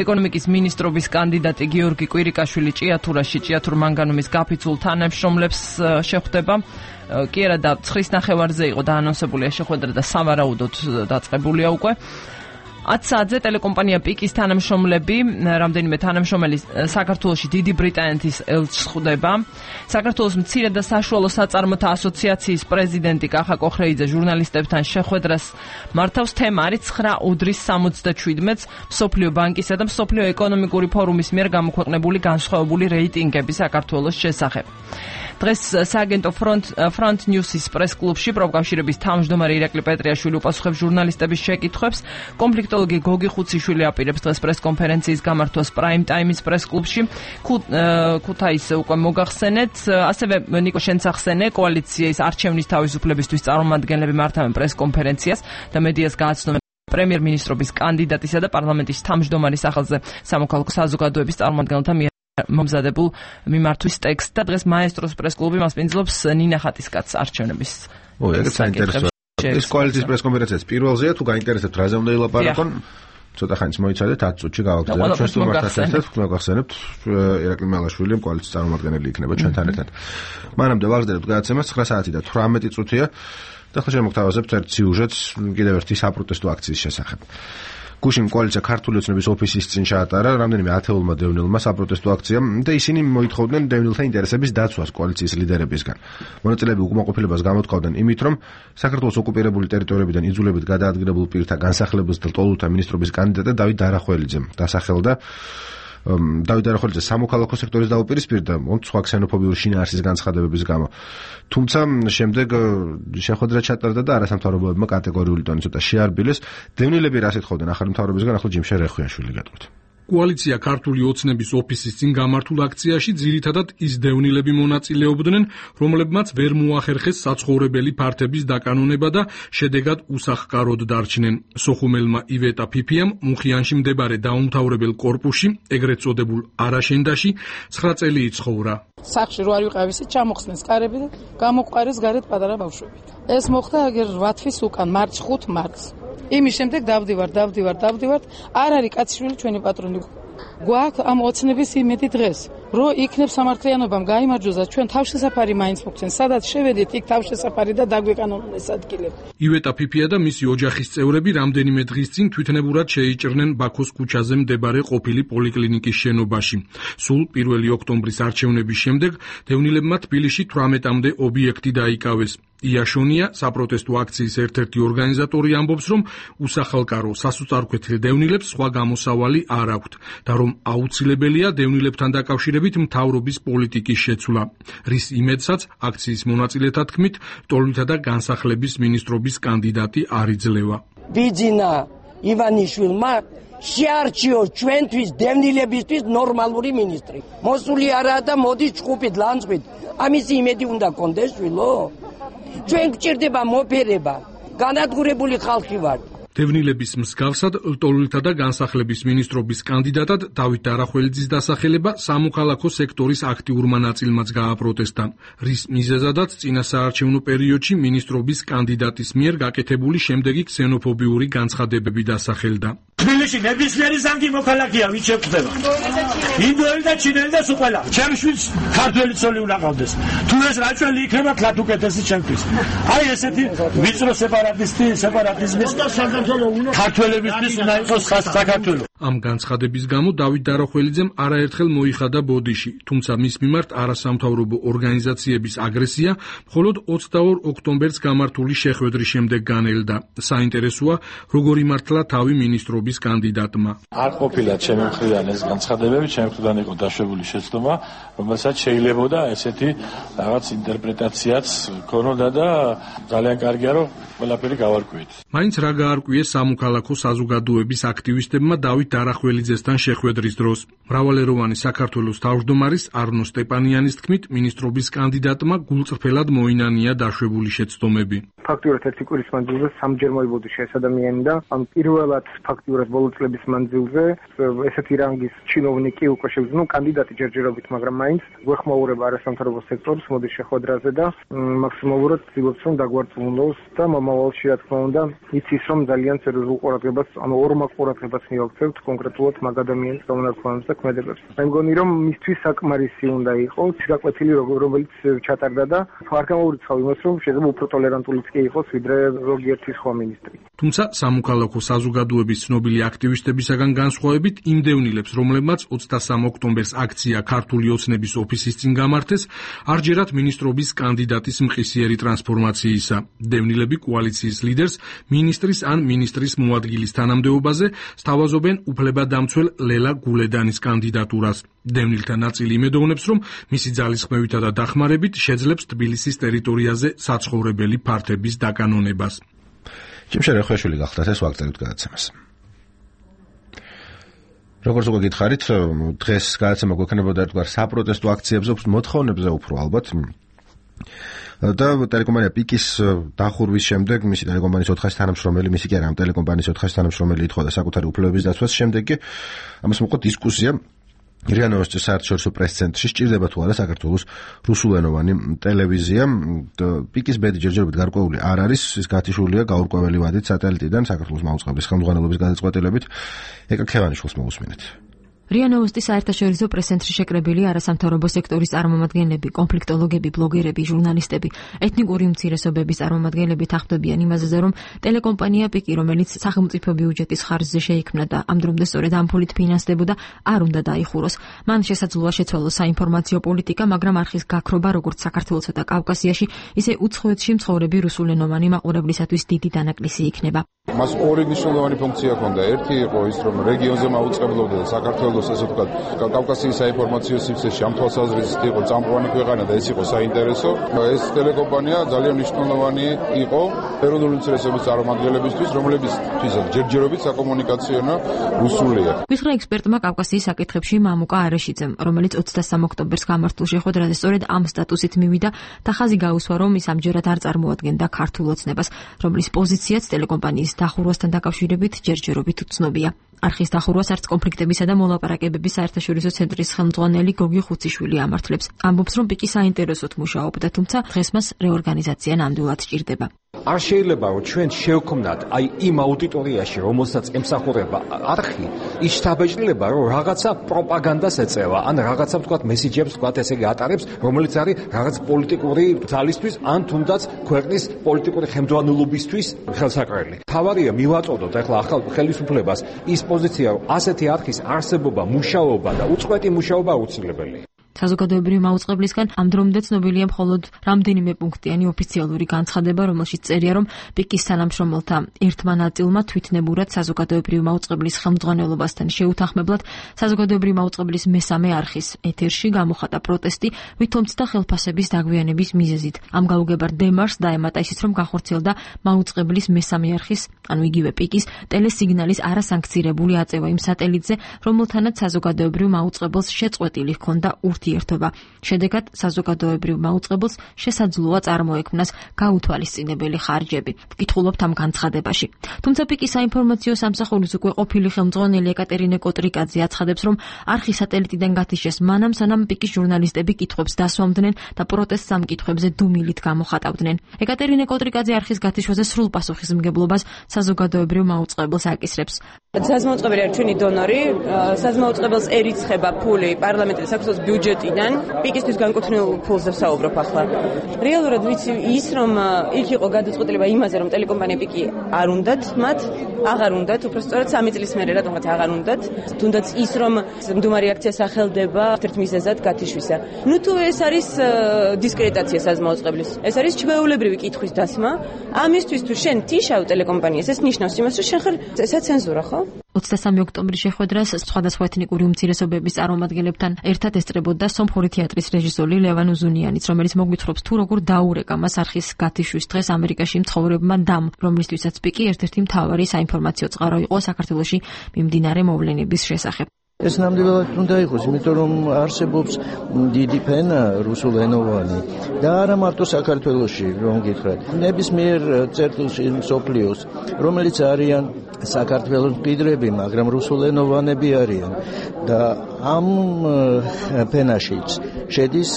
ეკონომიკის მინისტრობის კანდიდატი გიორგი კვირიკაშვილი ჭიათურაში ჭიათურ მანგანუმის გაფიცულ თანამშრომლებს შეხვდება. კი არა და ცხრის ნახევარზე იყო დაანონსებულია შეხვედრა და სავარაუდოდ დაწყებულია უკვე. ათ საათზე ტელეკომპანია პიკის თანამშრომლები, რამდენიმე თანამშრომელი საქართველოში დიდი ბრიტანეთის ელჩს ხვდება. საქართველოს მცირე და საშუალო საწარმოთა ასოციაციის პრეზიდენტი კახა კოხრეიძე ჟურნალისტებთან შეხვედრას მართავს. თემა არის ცხრა უდრის სამოცდაშვიდმეტს მსოფლიო ბანკისა და მსოფლიო ეკონომიკური ფორუმის მიერ გამოქვეყნებული განსხვავებული რეიტინგები საქართველოს შესახებ. დღეს სააგენტო ფრონტ ფრონტ ნიუსის პრეს-კლუბში პროფკავშირების თავმჯდომარე ირაკლი პეტრიაშვილი უპასუხებს ჟურნალისტების შეკითხვებს. კონფლიქტოლოგი გოგი ხუციშვილი აპირებს დღეს პრეს-კონფერენციის გამართვას პრაიმ ტაიმის პრეს-კლუბში. ქუთაისზე უკვე მოგახსენეთ, ასევე ნიკო შენცახსენე კოალიციის არჩევნის თავისუფლებისთვის წარმომადგენლები მართავენ პრეს-კონფერენციას და მედიას გააცნობენ პრემიერ-მინისტრობის კანდიდატისა და პარლამენტის თავმჯდომარის სახელზე სამოქალაქო საზოგადოების წარმომადგენელთა მიერ მომზადებულ მიმართვის ტექსტს და დღეს მაესტროს პრეს-კლუბი მასპინძლობს ნინა ხატისკაცს არჩევნების. ო, ეგეც საინტერესოა. ეს კოალიციის პრეს-კონფერენციაც პირველზეა, თუ გაინტერესებთ რაზე უნდა ილაპარაკონ, ცოტა ხანს მოიცადეთ ათ წუთში გავაგზავნეთ. ჩვენ თუ მართლა ერთად მოგახსენებთ, ირაკლი მელაშვილი კოალიციის წარმომადგენელი იქნება ჩვენთან ერთად. მანამდე ვაგზავნებთ გადაცემას ცხრა საათი და თვრამეტი წუთია და ახლა შემოგთავაზებთ ერთ სიუჟეტს კიდევ ერთი საპროტესტო აქციის შესახებ. გუშინ კოალიცია ქართული ოცნების ოფისის წინ ჩაატარა რამდენიმე ათეულმა დევნილმა საპროტესტო აქციამ და ისინი მოითხოვდნენ დევნილთა ინტერესების დაცვას კოალიციის ლიდერებისგან. მონაწილეები უკმაყოფილებას გამოთქვამდნენ იმით, რომ საქართველოს ოკუპირებული ტერიტორიებიდან იძულებით გადაადგილებულ პირთა განსახლებელს და ტოლულთა მინისტრობის კანდიდატად დავით დარახველიძემ დასახელდა. დავით დარახველიძე სამოქალაქო სექტორის დაუპირისპირდა სხვა ქსენოფობიური შინაარსის განცხადებების გამო. თუმცა შემდეგ შეხვედრა ჩატარდა და არასამთავრობოებმა კატეგორიული ტონით ცოტა შეარბილეს. დევნილები რას ეთხოვდნენ ახალი მთავრობისგან, ახლა ჯიმშე რეხვიაშვილი გეტყვით. კოალიცია ქართული ოცნების ოფისის წინ გამართულ აქციაში ძირითადად ის დევნილები მონაწილეობდნენ, რომლებმაც ვერ მოახერხეს საცხოვრებელი ფართების დაკანონება და შედეგად უსახკაროდ დარჩნენ. სოხუმელმა ივეტა ფიფიამ მუხიანში მდებარე დაუმთავრებელ კორპუსში, ეგრეთ წოდებულ არაშენდაში, ცხრა წელი იცხოვრა. სახში რო არ ვიყავისით, ჩამოხსნეს კარები და გამოყარეს გარეთ პატარა ბავშვებით. ეს მოხდა აგერ რვა თვის უკან, მარტს ხუთ მარტს. იმის შემდეგ დავდივარ, დავდივარ, დავდივარ, არ არის კაციშვილი ჩვენი პატრონი. გვაქვს ამ ოცნების იმედი დღეს, რომ იქნებ სამართლიანობამ გაიმარჯვოს, ჩვენ თავშესაფარი მაინც მოგცენ, სადაც შევედით, იქ თავშესაფარი და დაგვეკანონონ ეს ადგილები. ივეტა ფიფია და მისი ოჯახის წევრები რამდენიმე დღის წინ თვითნებურად შეიჭრნენ ბაქოს ქუჩაზე მდებარე ყოფილი პოლიკლინიკის შენობაში. სულ პირველი ოქტომბრის არჩევნების შემდეგ დევნილებმა თბილისში თვრამეტამდე ობიექტი დაიკავეს. იაშონია, საპროტესტო აქციის ერთ-ერთი ორგანიზატორი, ამბობს, რომ უსახალკარო სასუწარკვეთილ დევნილებს სხვა გამოსავალი არ აქვთ და რომ აუცილებელია დევნილებთან დაკავშირებით მთავრობის პოლიტიკის შეცვლა, რის იმედსაც აქციის მონაწილეთა თქმით, ტოლმითა და განსახლების მინისტრობის კანდიდატი არ იძლევა. ბიძინა ივანიშვილმა შეარჩიოს ჩვენთვის დევნილებისთვის ნორმალური მინისტრი. მოსული არაა და მოდის ჭკუპით ლანძღვით. ამისი იმედი უნდა კონდეს შვილო. ჩვენ გჭირდება მოფერება. განადგურებული ხალხი ვართ. დევნილების მსგავსად ლტოლვილთა და განსახლების მინისტრობის კანდიდატად დავით არახველიძის დასახელება სამოქალაქო სექტორის აქტიურმა ნაწილმაც გააპროტესტა, რის მიზეზადაც წინა საარჩევნო პერიოდში მინისტრობის კანდიდატის მიერ გაკეთებული შემდეგი ქსენოფობიური განცხადებები დასახელდა. თბილისში ნებისმიერი ზანგი მოქალაქეა, ვინც შეხვდება. ინდოელი და ჩინელი და სულ ყველა. ჩემს შვილს ქართველი ცოლი უნდა ყავდეს. თუ ეს რაჭველი იქნება, თლათ უკეთესი ჩემთვის. აი ესეთი ვიწრო სეპარატისტი, სეპარატიზმის ქართველებისთვის უნდა იყოს საქართველო. ამ განცხადების გამო დავით არახველიძემ არაერთხელ მოიხადა ბოდიში, თუმცა მის მიმართ არასამთავრობო ორგანიზაციების აგრესია მხოლოდ ოცდაორ ოქტომბერს გამართული შეხვედრის შემდეგ განელდა. საინტერესოა, როგორ იმართლა თავი მინისტრობის კანდიდატმა. არ ყოფილა ჩემი მხრიდან ეს განცხადებები, ჩემი მხრიდან იყო დაშვებული შეცდომა, რომელსაც შეიძლებოდა ესეთი რაღაც ინტერპრეტაციაც ქონოდა და ძალიან კარგია, რომ ყველაფერი გავარკვიეთ. მაინც რა გაარკვიეს სამოქალაქო საზოგადოების აქტივისტებმა დავით არახველიძესთან შეხვედრის დროს. მრავალეროვანი საქართველოს თავმჯდომარის არნო სტეპანიანის თქმით, მინისტრობის კანდიდატმა გულწრფელად მოინანია დაშვებული შეცდომები. ფაქტიურად ერთი კვირის მანძილზე სამჯერ მოიბოდი ეს ადამიანი და ამ პირველად ფაქტიურად ბოლო წლების მანძილზე ესეთი რანგის ჩინოვნიკი უკვე შევძნო კანდიდატი ჯერჯერობით, მაგრამ მაინც გვეხმაურება არასამთავრობო სექტორს მოდის შეხვედრაზე და მაქსიმალურად ვცდილობთ რომ დაგვარწმუნოს და მომავალში რა თქმა უნდა იცის რომ ძალიან სერიოზულ ყურადღებას, ანუ ორმაყ ყურადღებას მივაქცევთ კონკრეტულად მაგ ადამიანის გამონაკლისს და ქმედებებს. მე მგონი რომ მისთვის საკმარისი უნდა იყოს გაკვეთილი რომელიც ჩატარდა და არ გამოურიცხავ იმას რომ შეიძლება უფრო ტოლერანტულიც კი იყოს ვიდრე ზოგიერთი სხვა მინისტრი. თუმცა სამოქალაქო საზოგადოების ცნობილი აქტივისტებისაგან განსხვავებით იმ დევნილებს, რომლებმაც ოცდასამ ოქტომბერს აქცია ქართული ოცნების ოფისის წინ გამართეს, არჯერად მინისტრობის კანდიდატის მყისიერი ტრანსფორმაციისა. დევნილები კოალიციის ლიდერს მინისტრის ან მინისტრის მოადგილის თანამდებობაზე სთავაზობენ უფლებადამცველ ლელა გულედანის კანდიდატურას. დევნილთა ნაწილი იმედოვნებს, რომ მისი ძალისხმევითა და დახმარებით შეძლებს თბილისის ტერიტორიაზე საცხოვრებელი ფართების დაკანონებას. ჩემშე რეხვეშვილი გახდათ ეს ვაგწერებთ გადაცემას. როგორც უკვე გითხარით, დღეს გადაცემა გვექნებოდა ერთგვარ საპროტესტო აქციებზე, მოთხოვნებზე უფრო ალბათ. და ტელეკომპანია პიკის დახურვის შემდეგ მისი ტელეკომპანიის ოთხი თანამშრომელი, მისი კი არა, ამ ტელეკომპანიის ოთხი თანამშრომელი ითხოვდა საკუთარი უფლებების დაცვას. შემდეგ კი ამას მოყვა დისკუსია რია ნოვოსტის საერთაშორისო პრეს-ცენტრში, სჭირდება თუ არა საქართველოს რუსულენოვანი ტელევიზია. პიკის ბედი ჯერჯერობით გარკვეული არ არის, ის გათიშულია გაურკვეველი ვადით სატელიტიდან საქართველოს მაუწყებლის ხელმძღვანელობის გადაწყვეტილებით. ეკა ქევანიშვილს მოვუსმინეთ. რია ნოვოსტის საერთაშორისო პრეს-ცენტრში შეკრებილი არასამთავრობო სექტორის წარმომადგენლები, კონფლიქტოლოგები, ბლოგერები, ჟურნალისტები, ეთნიკური უმცირესობების წარმომადგენლები თანხმდებიან იმაზე, რომ ტელეკომპანია პიკი, რომელიც სახელმწიფო ბიუჯეტის ხარჯზე შეიქმნა და ამ დრომდე სწორედ ამ ფულით ფინანსდებოდა, არ უნდა დაიხუროს. მან შესაძლოა შეცვალოს საინფორმაციო პოლიტიკა, მაგრამ არხის გაქრობა როგორც საქართველოსა და კავკასიაში, ისე უცხოეთში მცხოვრები რუსულენოვანი მაყურებლისათვის დიდი დანაკლისი იქნება. მას ორი მნიშვნელოვანი ფუნქცია ჰქონდა. ერთი იყო ის, რომ რეგიონზე მაუწყებლობდა და საქართველოს ასე ვთქვათ, კავკასიის საინფორმაციო სივრცეში ამ თვალსაზრისით იყო წამყვანი ქვეყანა და ეს იყო საინტერესო. ეს ტელეკომპანია ძალიან მნიშვნელოვანი იყო ეროვნული ინტერესების წარმომადგენლებისთვის, რომლებისთვისაც ჯერჯერობით საკომუნიკაციო რუსულია. მისხრა ექსპერტმა კავკასიის საკითხებში მამუკა არეშიძემ, რომელიც ოცდასამ ოქტომბერს გამართულ შეხვედრაზე სწორედ ამ სტატუსით მივიდა და ხაზი გაუსვა, რომ ის ამჯერად არ წარმოადგენდა ქართულ ოცნებას, რომლის პოზიციაც ტელეკომპანიის დახურვასთან დაკავშირებით ჯერჯერობით უცნობია. არხის დახურვას არც კონფლიქტებისა და მოლაპარაკებების საერთაშორისო ცენტრის ხელმძღვანელი გოგი ხუციშვილი ამართლებს. ამბობს, რომ პიკი საინტერესოდ მუშაობდა, თუმცა დღეს მას რეორგანიზაცია ნამდვილად სჭირდება. არ შეიძლება რომ ჩვენ შევქმნათ აი იმ აუდიტორიაში, რომელსაც ემსახურება არხი, ის შთაბეჭდილება, რომ რაღაცა პროპაგანდას ეწევა, ან რაღაცა ვთქვათ მესიჯებს ვთქვათ ესე იგი ატარებს, რომელიც არის რაღაც პოლიტიკური ძალისთვის, ან თუნდაც ქვეყნის პოლიტიკური ხელმძღვანელობისთვის ხელსაყრელი. თავარია მივაწოდოთ ახლა ახალ ხელისუფლებას ის პოზიცია, რომ ასეთი არხის არსებობა, მუშაობა და უწყვეტი მუშაობა აუცილებელია. საზოგადოებრივი მაუწყებლისგან ამ დრომდე ცნობილია მხოლოდ რამდენიმე პუნქტიანი ოფიციალური განცხადება, რომელშიც წერია, რომ პიკის თანამშრომელთა ერთმა ნაწილმა თვითნებურად საზოგადოებრივი მაუწყებლის ხელმძღვანელობასთან შეუთანხმებლად საზოგადოებრივი მაუწყებლის მესამე არხის ეთერში გამოხატა პროტესტი, ვითომცდა ხელფასების დაგვიანების მიზეზით. ამ გაუგებარ დემარშს დაემატა ისიც, რომ განხორციელდა მაუწყებლის მესამე არხის, ანუ იგივე პიკის ტელესიგნალის არასანქცირებული აწევა იმ სატელიტზე, რომელთანაც საზოგადოებრივ მაუწყებელს შეწყვეტილი ჰქონდა ურთიერთობა. შედეგად საზოგადოებრივ მაუწყებელს შესაძლოა წარმოექმნას გაუთვალისწინებელი ხარჯები. ვკითხულობთ ამ განცხადებაში. თუმცა პიკის საინფორმაციო სამსახურის უკვე ყოფილი ხელმძღვანელი ეკატერინე კოტრიკაძე აცხადებს, რომ არხი სატელიტიდან გათიშეს მანამ, სანამ პიკის ჟურნალისტები კითხვებს დასვამდნენ და პროტესტს ამ კითხვებზე დუმილით გამოხატავდნენ. ეკატერინე კოტრიკაძე არხის გათიშვაზე სრულ პასუხისმგებლობას საზოგადოებრივ მაუწყებელს აკისრებს. საზმაუწყებელი არის ჩვენი დონორი, საზმაუწყებელს ერიცხება ფული პარლამენტის საქართველოს ბიუჯეტიდან, პიკისთვის განკუთვნილ ფულზე ვსაუბრობ ახლა. რეალურად ვიცი ის, რომ იქ იყო გადაწყვეტილება იმაზე, რომ ტელეკომპანია პიკი არ უნდათ მათ, აღარ უნდათ, უბრალოდ სამი წლის მერე რატომღაც აღარ უნდათ. თუნდაც ის, რომ მდუმარი აქცია სახელდება ერთ მიზეზად გათიშვისა. ნუ თუ ეს არის დისკრედიტაცია საზმაუწყებლის, ეს არის ჩვეულებრივი კითხვის დასმა. ამისთვის თუ შენ თიშავ ტელეკომპანიას, ეს ნიშნავს იმას, რომ შენ ხარ საცენზურა, ხო? ოცდასამი ოქტომბრის შეხვედრას სხვადასხვა ეთნიკური უმცირესობების წარმომადგენლებთან ერთად ესწრებოდა სომხური თეატრის რეჟისორი ლევან უზუნიანიც, რომელიც მოგვითხრობს თუ როგორ დაურეკა მას არხის გათიშვის დღეს ამერიკაში მცხოვრებმა დამ, რომლისთვისაც პიკი ერთ-ერთი მთავარი საინფორმაციო წყარო იყო საქართველოში მიმდინარე მოვლენების შესახებ. ეს ნამდვილად უნდა იყოს, იმიტომ რომ არსებობს დიდი ფენა რუსულენოვანი და არა მარტო საქართველოში, რომ გითხრათ. ნებისმიერ წერტილში მსოფლიოს, რომელიც არიან საქართველოს მყიდრები, მაგრამ რუსულენოვანები არიან და ამ ფენაშიც შედის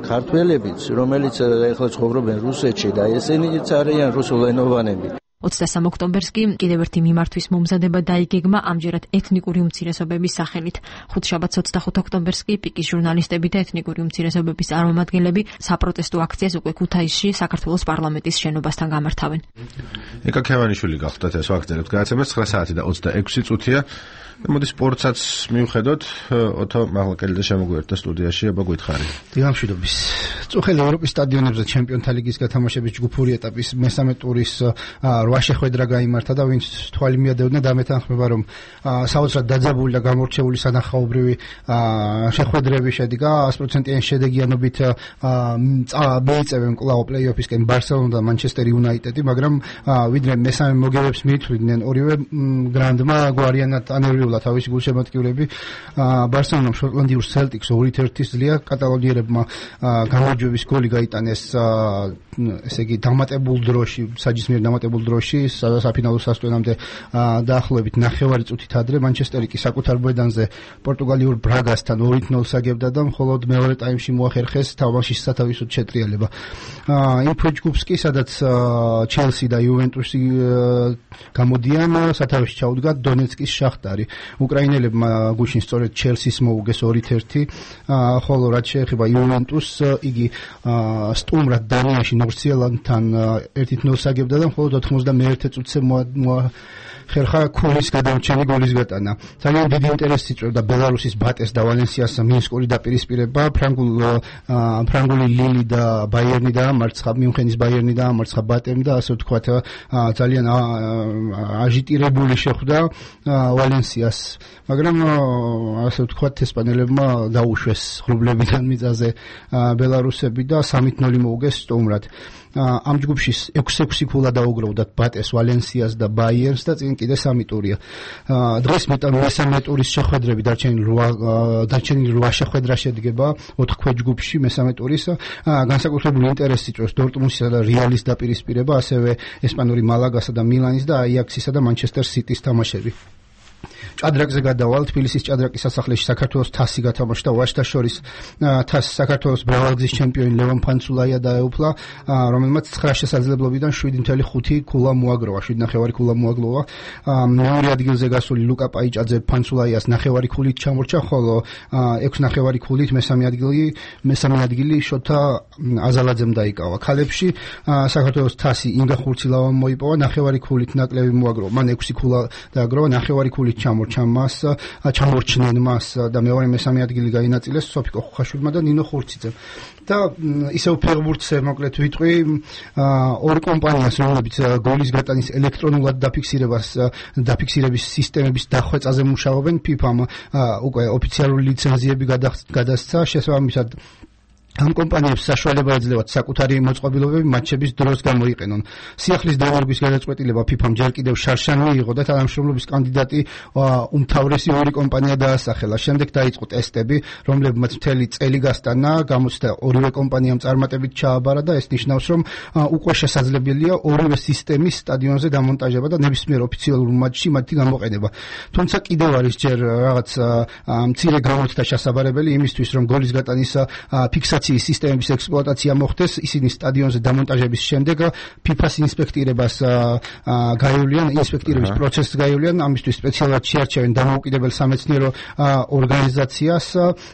ქართველებიც, რომელიც ახლა ცხოვრობენ რუსეთში და ესენიც არიან რუსულენოვანები. ოცდასამი ოქტომბერს კი კიდევ ერთი მიმართვის მომზადება დაიგეგმა ამჯერად ეთნიკური უმცირესობების სახელით. ხუთშაბათს ოცდახუთი ოქტომბერს კი პიკის ჟურნალისტები და ეთნიკური უმცირესობების წარმომადგენლები საპროტესტო აქციას უკვე ქუთაისში საქართველოს პარლამენტის შენობასთან გამართავენ. ეკა ქევანიშვილი გახლდათ ეს ვაგრძელებთ გადაცემას ცხრა საათი და ოცდაექვსი წუთია. მოდი სპორტსაც მივხედოთ, ოთო მაღლაკელიძე შემოგვიერთდა სტუდიაში, აბა გითხარი. დილამშვიდობის. წუხელი ევროპის სტადიონებზე ჩემპიონთა ლიგის გათამაშების ჯგუფური ეტაპის მესამე ტურის რვა შეხვედრა გაიმართა და ვინც თვალი მიადევნდა დამეთანხმება, რომ საოცრად დაძაბული და გამორჩეული სანახაობრივი შეხვედრები შედგა, ას პროცენტიანი შედეგიანობით მიიწევენ კვლავ პლეი-ოფისკენ ბარსელონა და მანჩესტერ იუნაიტედი, მაგრამ ვიდრე მესამე მოგებებს მიითვლიდნენ ორივე გრანდმა გვარიანად ანერვიულა თავისი გულშემატკივრები. ბარსელონამ შოტლანდიურ სელტიკს ორით ერთი ზლია, კატალონიერებმა გამარჯვების გოლი გაიტანეს ესე იგი დამატებულ დროში, საჯისმიერ დამატებულ დროში, საფინალო სასტუმრომდე დაახლოებით ნახევარი წუთით ადრე მანჩესტერი კი საკუთარ ბედანზე პორტუგალიურ ბრაგასთან ორით ნოლს აგებდა და მხოლოდ მეორე ტაიმში მოახერხეს თამაშის სათავისოდ შეტრიალება. იმ ჯგუფს კი, სადაც ჩელსი და იუვენტუსი გამოდიან, სათავეში ჩაუდგა დონეცკის შახტარი. უკრაინელებმა გუშინ სწორედ ჩელსის მოუგეს ორით ერთი, ხოლო რაც შეეხება იუვენტუსს, იგი სტუმრად დანიაში ნორსიელანდთან ერთით ნოლს აგებდა და მხოლოდ ოთხმოცდამეერთე წუთზე ხერხა ქულის გადამრჩენი გოლის გატანა. ძალიან დიდი ინტერესი იწვევდა ბელარუსის ბატეს და ვალენსიას მინსკური დაპირისპირება. ფრანგულ ფრანგული ლილი და ბაიერნი დაამარცხა, მიუნხენის ბაიერნი დაამარცხა ბატემ და ასე ვთქვათ ძალიან აჟიტირებული შეხვდა ვალენსიას. მაგრამ ასე ვთქვათ ესპანელებმა დაუშვეს ღრუბლებიდან მიწაზე ბელარუსები და სამით ნოლი მოუგეს სტუმრად. ამ ჯგუფში ექვსი ექვსი ქულა დაუგროვდათ ბატეს, ვალენსიას და ბაიერნს და წინ კიდე სამი ტურია. დღეს მესამე ტურის შეხვედრები დარჩენილი რვა დარჩენილი რვა შეხვედრა შედგება ოთხ ჯგუფში მესამე ტურის. განსაკუთრებული ინტერესი იწვევს დორტმუნდსა და რეალის დაპირისპირება, ასევე ესპანური მალაგასა და მილანის და აიაქსისა და მანჩესტერ სიტის თამაშები. ჭადრაკზე გადავალ, თბილისის ჭადრაკის სასახლეში საქართველოს თასი გათამაშდა, ვაჟთა შორის თასი საქართველოს ბრავალგზის ჩემპიონი ლევან ფანცულაია დაეუფლა, რომელმაც ცხრა შესაძლებლობიდან შვიდი ნული ხუთი ქულა მოაგროვა, შვიდი ნახევარი ქულა მოაგროვა. მეორე ადგილზე გასული ლუკა პაიჭაძე ფანცულაიას ნახევარი ქულით ჩამორჩა, ხოლო ექვს ნახევარი ქულით მესამე ადგილი მესამე ადგილი შოთა აზალაძემ დაიკავა. ქალებში საქართველოს თასი ინგა ხურცილავამ მოიპოვა, ნახევარი ქულით ნაკლები მოაგროვა, მან ექვსი ქულა დააგროვა, ნახევარი ქულით ჩამორჩა. ჩამორჩა მას, ჩამორჩნენ მას და მეორე მესამე ადგილი გაინაწილეს სოფიკო ხუხაშვილმა და ნინო ხურციძემ. და ისევ ფეხბურთზე მოკლედ ვიტყვი ორი კომპანიას, რომლებიც გოლის გატანის ელექტრონულად დაფიქსირებას დაფიქსირების სისტემების დახვეწაზე მუშაობენ, ფიფამ უკვე ოფიციალური ლიცენზიები გადასცა, შესაბამისად ამ კომპანიებს საშუალება ეძლევათ საკუთარი მოწყობილობები მატჩების დროს გამოიყენონ. სიახლის დაღუპვის გადაწყვეტილება ფიფამ ჯერ კიდევ შარშან მიიღო და თანამშრომლობის კანდიდატი უმთავრესი ორი კომპანია დაასახელა. შემდეგ დაიწყო ტესტები, რომლებმაც მთელი წელი გასტანა, გამოცდა ორივე კომპანიამ წარმატებით ჩააბარა და ეს ნიშნავს, რომ უკვე შესაძლებელია ორივე სისტემის სტადიონზე დამონტაჟება და ნებისმიერ ოფიციალურ მატჩში მათი გამოყენება. თუმცა კიდევ არის ჯერ რაღაც მცირე გამოცდა შესაძლებელი იმისთვის, რომ გოლის გატანის ფიქსაცია სისტემების ექსპლუატაცია მოხდეს, ისინი სტადიონზე დამონტაჟების შემდეგ ფიფას ინსპექტირებას გაივლიან, ინსპექტირების პროცესს გაივლიან, ამისთვის სპეციალურად შეარჩევენ დამოუკიდებელ სამეცნიერო ორგანიზაციას,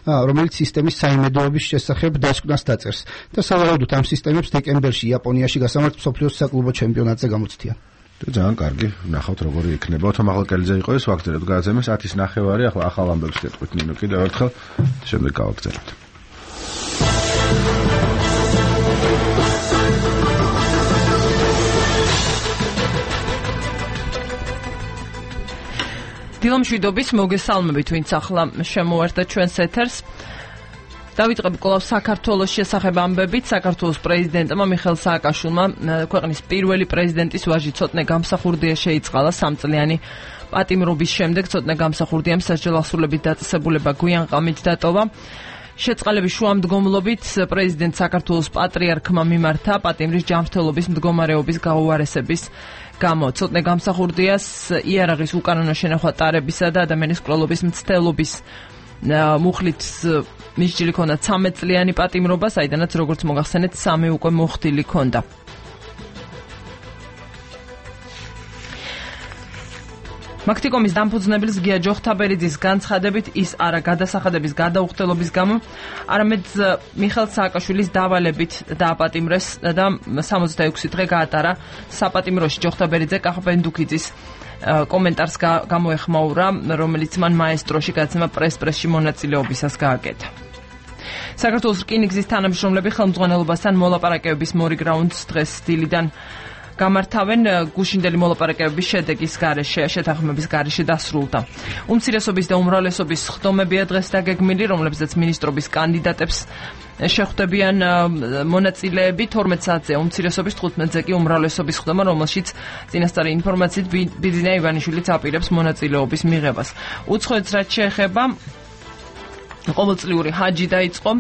რომელიც სისტემის საიმედოობის შესახებ დასკვნას დაწერს. და სავარაუდოდ ამ სისტემებს დეკემბერში იაპონიაში გასამართ მსოფლიოს საკლუბო ჩემპიონატზე გამოცდიან. ძალიან კარგი, ნახავთ როგორი იქნება. ოთო მაღლაკელიძე იყო ეს ვაგრძელებთ გადაცემას ათის ნახევარი, ახლა ახალ ამბებს გეტყვით ნინო კიდევ ერთხელ, შემდეგ გავაგრძელებთ. დილამშვიდობის მოგესალმებით, ვინც ახლა შემოერთა ჩვენს ეთერს. დავიწყებ კვლავ საქართველოს შესახებ ამბებით. საქართველოს პრეზიდენტმა მიხეილ სააკაშვილმა ქვეყნის პირველი პრეზიდენტის ვაჟი ცოტნე გამსახურდია შეიწყალა სამწლიანი პატიმრობის შემდეგ. ცოტნე გამსახურდიამ სასჯელ ასრულებით დაწესებულება გვიან ღამით დატოვა. შეწყალების შუამდგომლობით პრეზიდენტ საქართველოს პატრიარქმა მიმართა პატიმრის ჯანმრთელობის მდგომარეობის გაუარესების გამო. ცოტნე გამსახურდიას იარაღის უკანონო შენახვა ტარებისა და ადამიანის კვლელობის მცდელობის მუხლით მისჯილი ქონდა ცამეტ წლიანი პატიმრობა, საიდანაც როგორც მოგახსენეთ სამი უკვე მოხდილი ქონდა. მაქტიკომის დამფუძნებლის გია ჯოხთაბერიძის განცხადებით ის არა გადასახადების გადაუხდელობის გამო, არამედ მიხეილ სააკაშვილის დავალებით დააპატიმრეს და სამოცდაექვსი დღე გაატარა საპატიმროში. ჯოხთაბერიძე კახაბენდუქიძის კომენტარს გამოეხმაურა, რომელიც მან მაესტროში გადაცემა პრეს-პრესში მონაწილეობისას გააკეთა. საქართველოს რკინიგზის თანამშრომლები ხელმძღვანელობასთან მოლაპარაკებების მორიგ რაუნდს დღეს დილიდან გამართავენ. გუშინდელი მოლაპარაკებების შედეგის გარეშე, შეთანხმების გარეშე დასრულდა. უმცირესობის და უმრავლესობის ხდომებია დღეს დაგეგმილი, რომლებზეც მინისტრობის კანდიდატებს შეხვდებიან მონაწილეები. თორმეტ საათზე უმცირესობის, თხუთმეტზე კი უმრავლესობის ხდომა, რომელშიც წინასწარი ინფორმაციით ბიძინა ივანიშვილიც აპირებს მონაწილეობის მიღებას. უცხოეთს რაც შეეხება, ყოველწლიური ჰაჯი დაიწყო.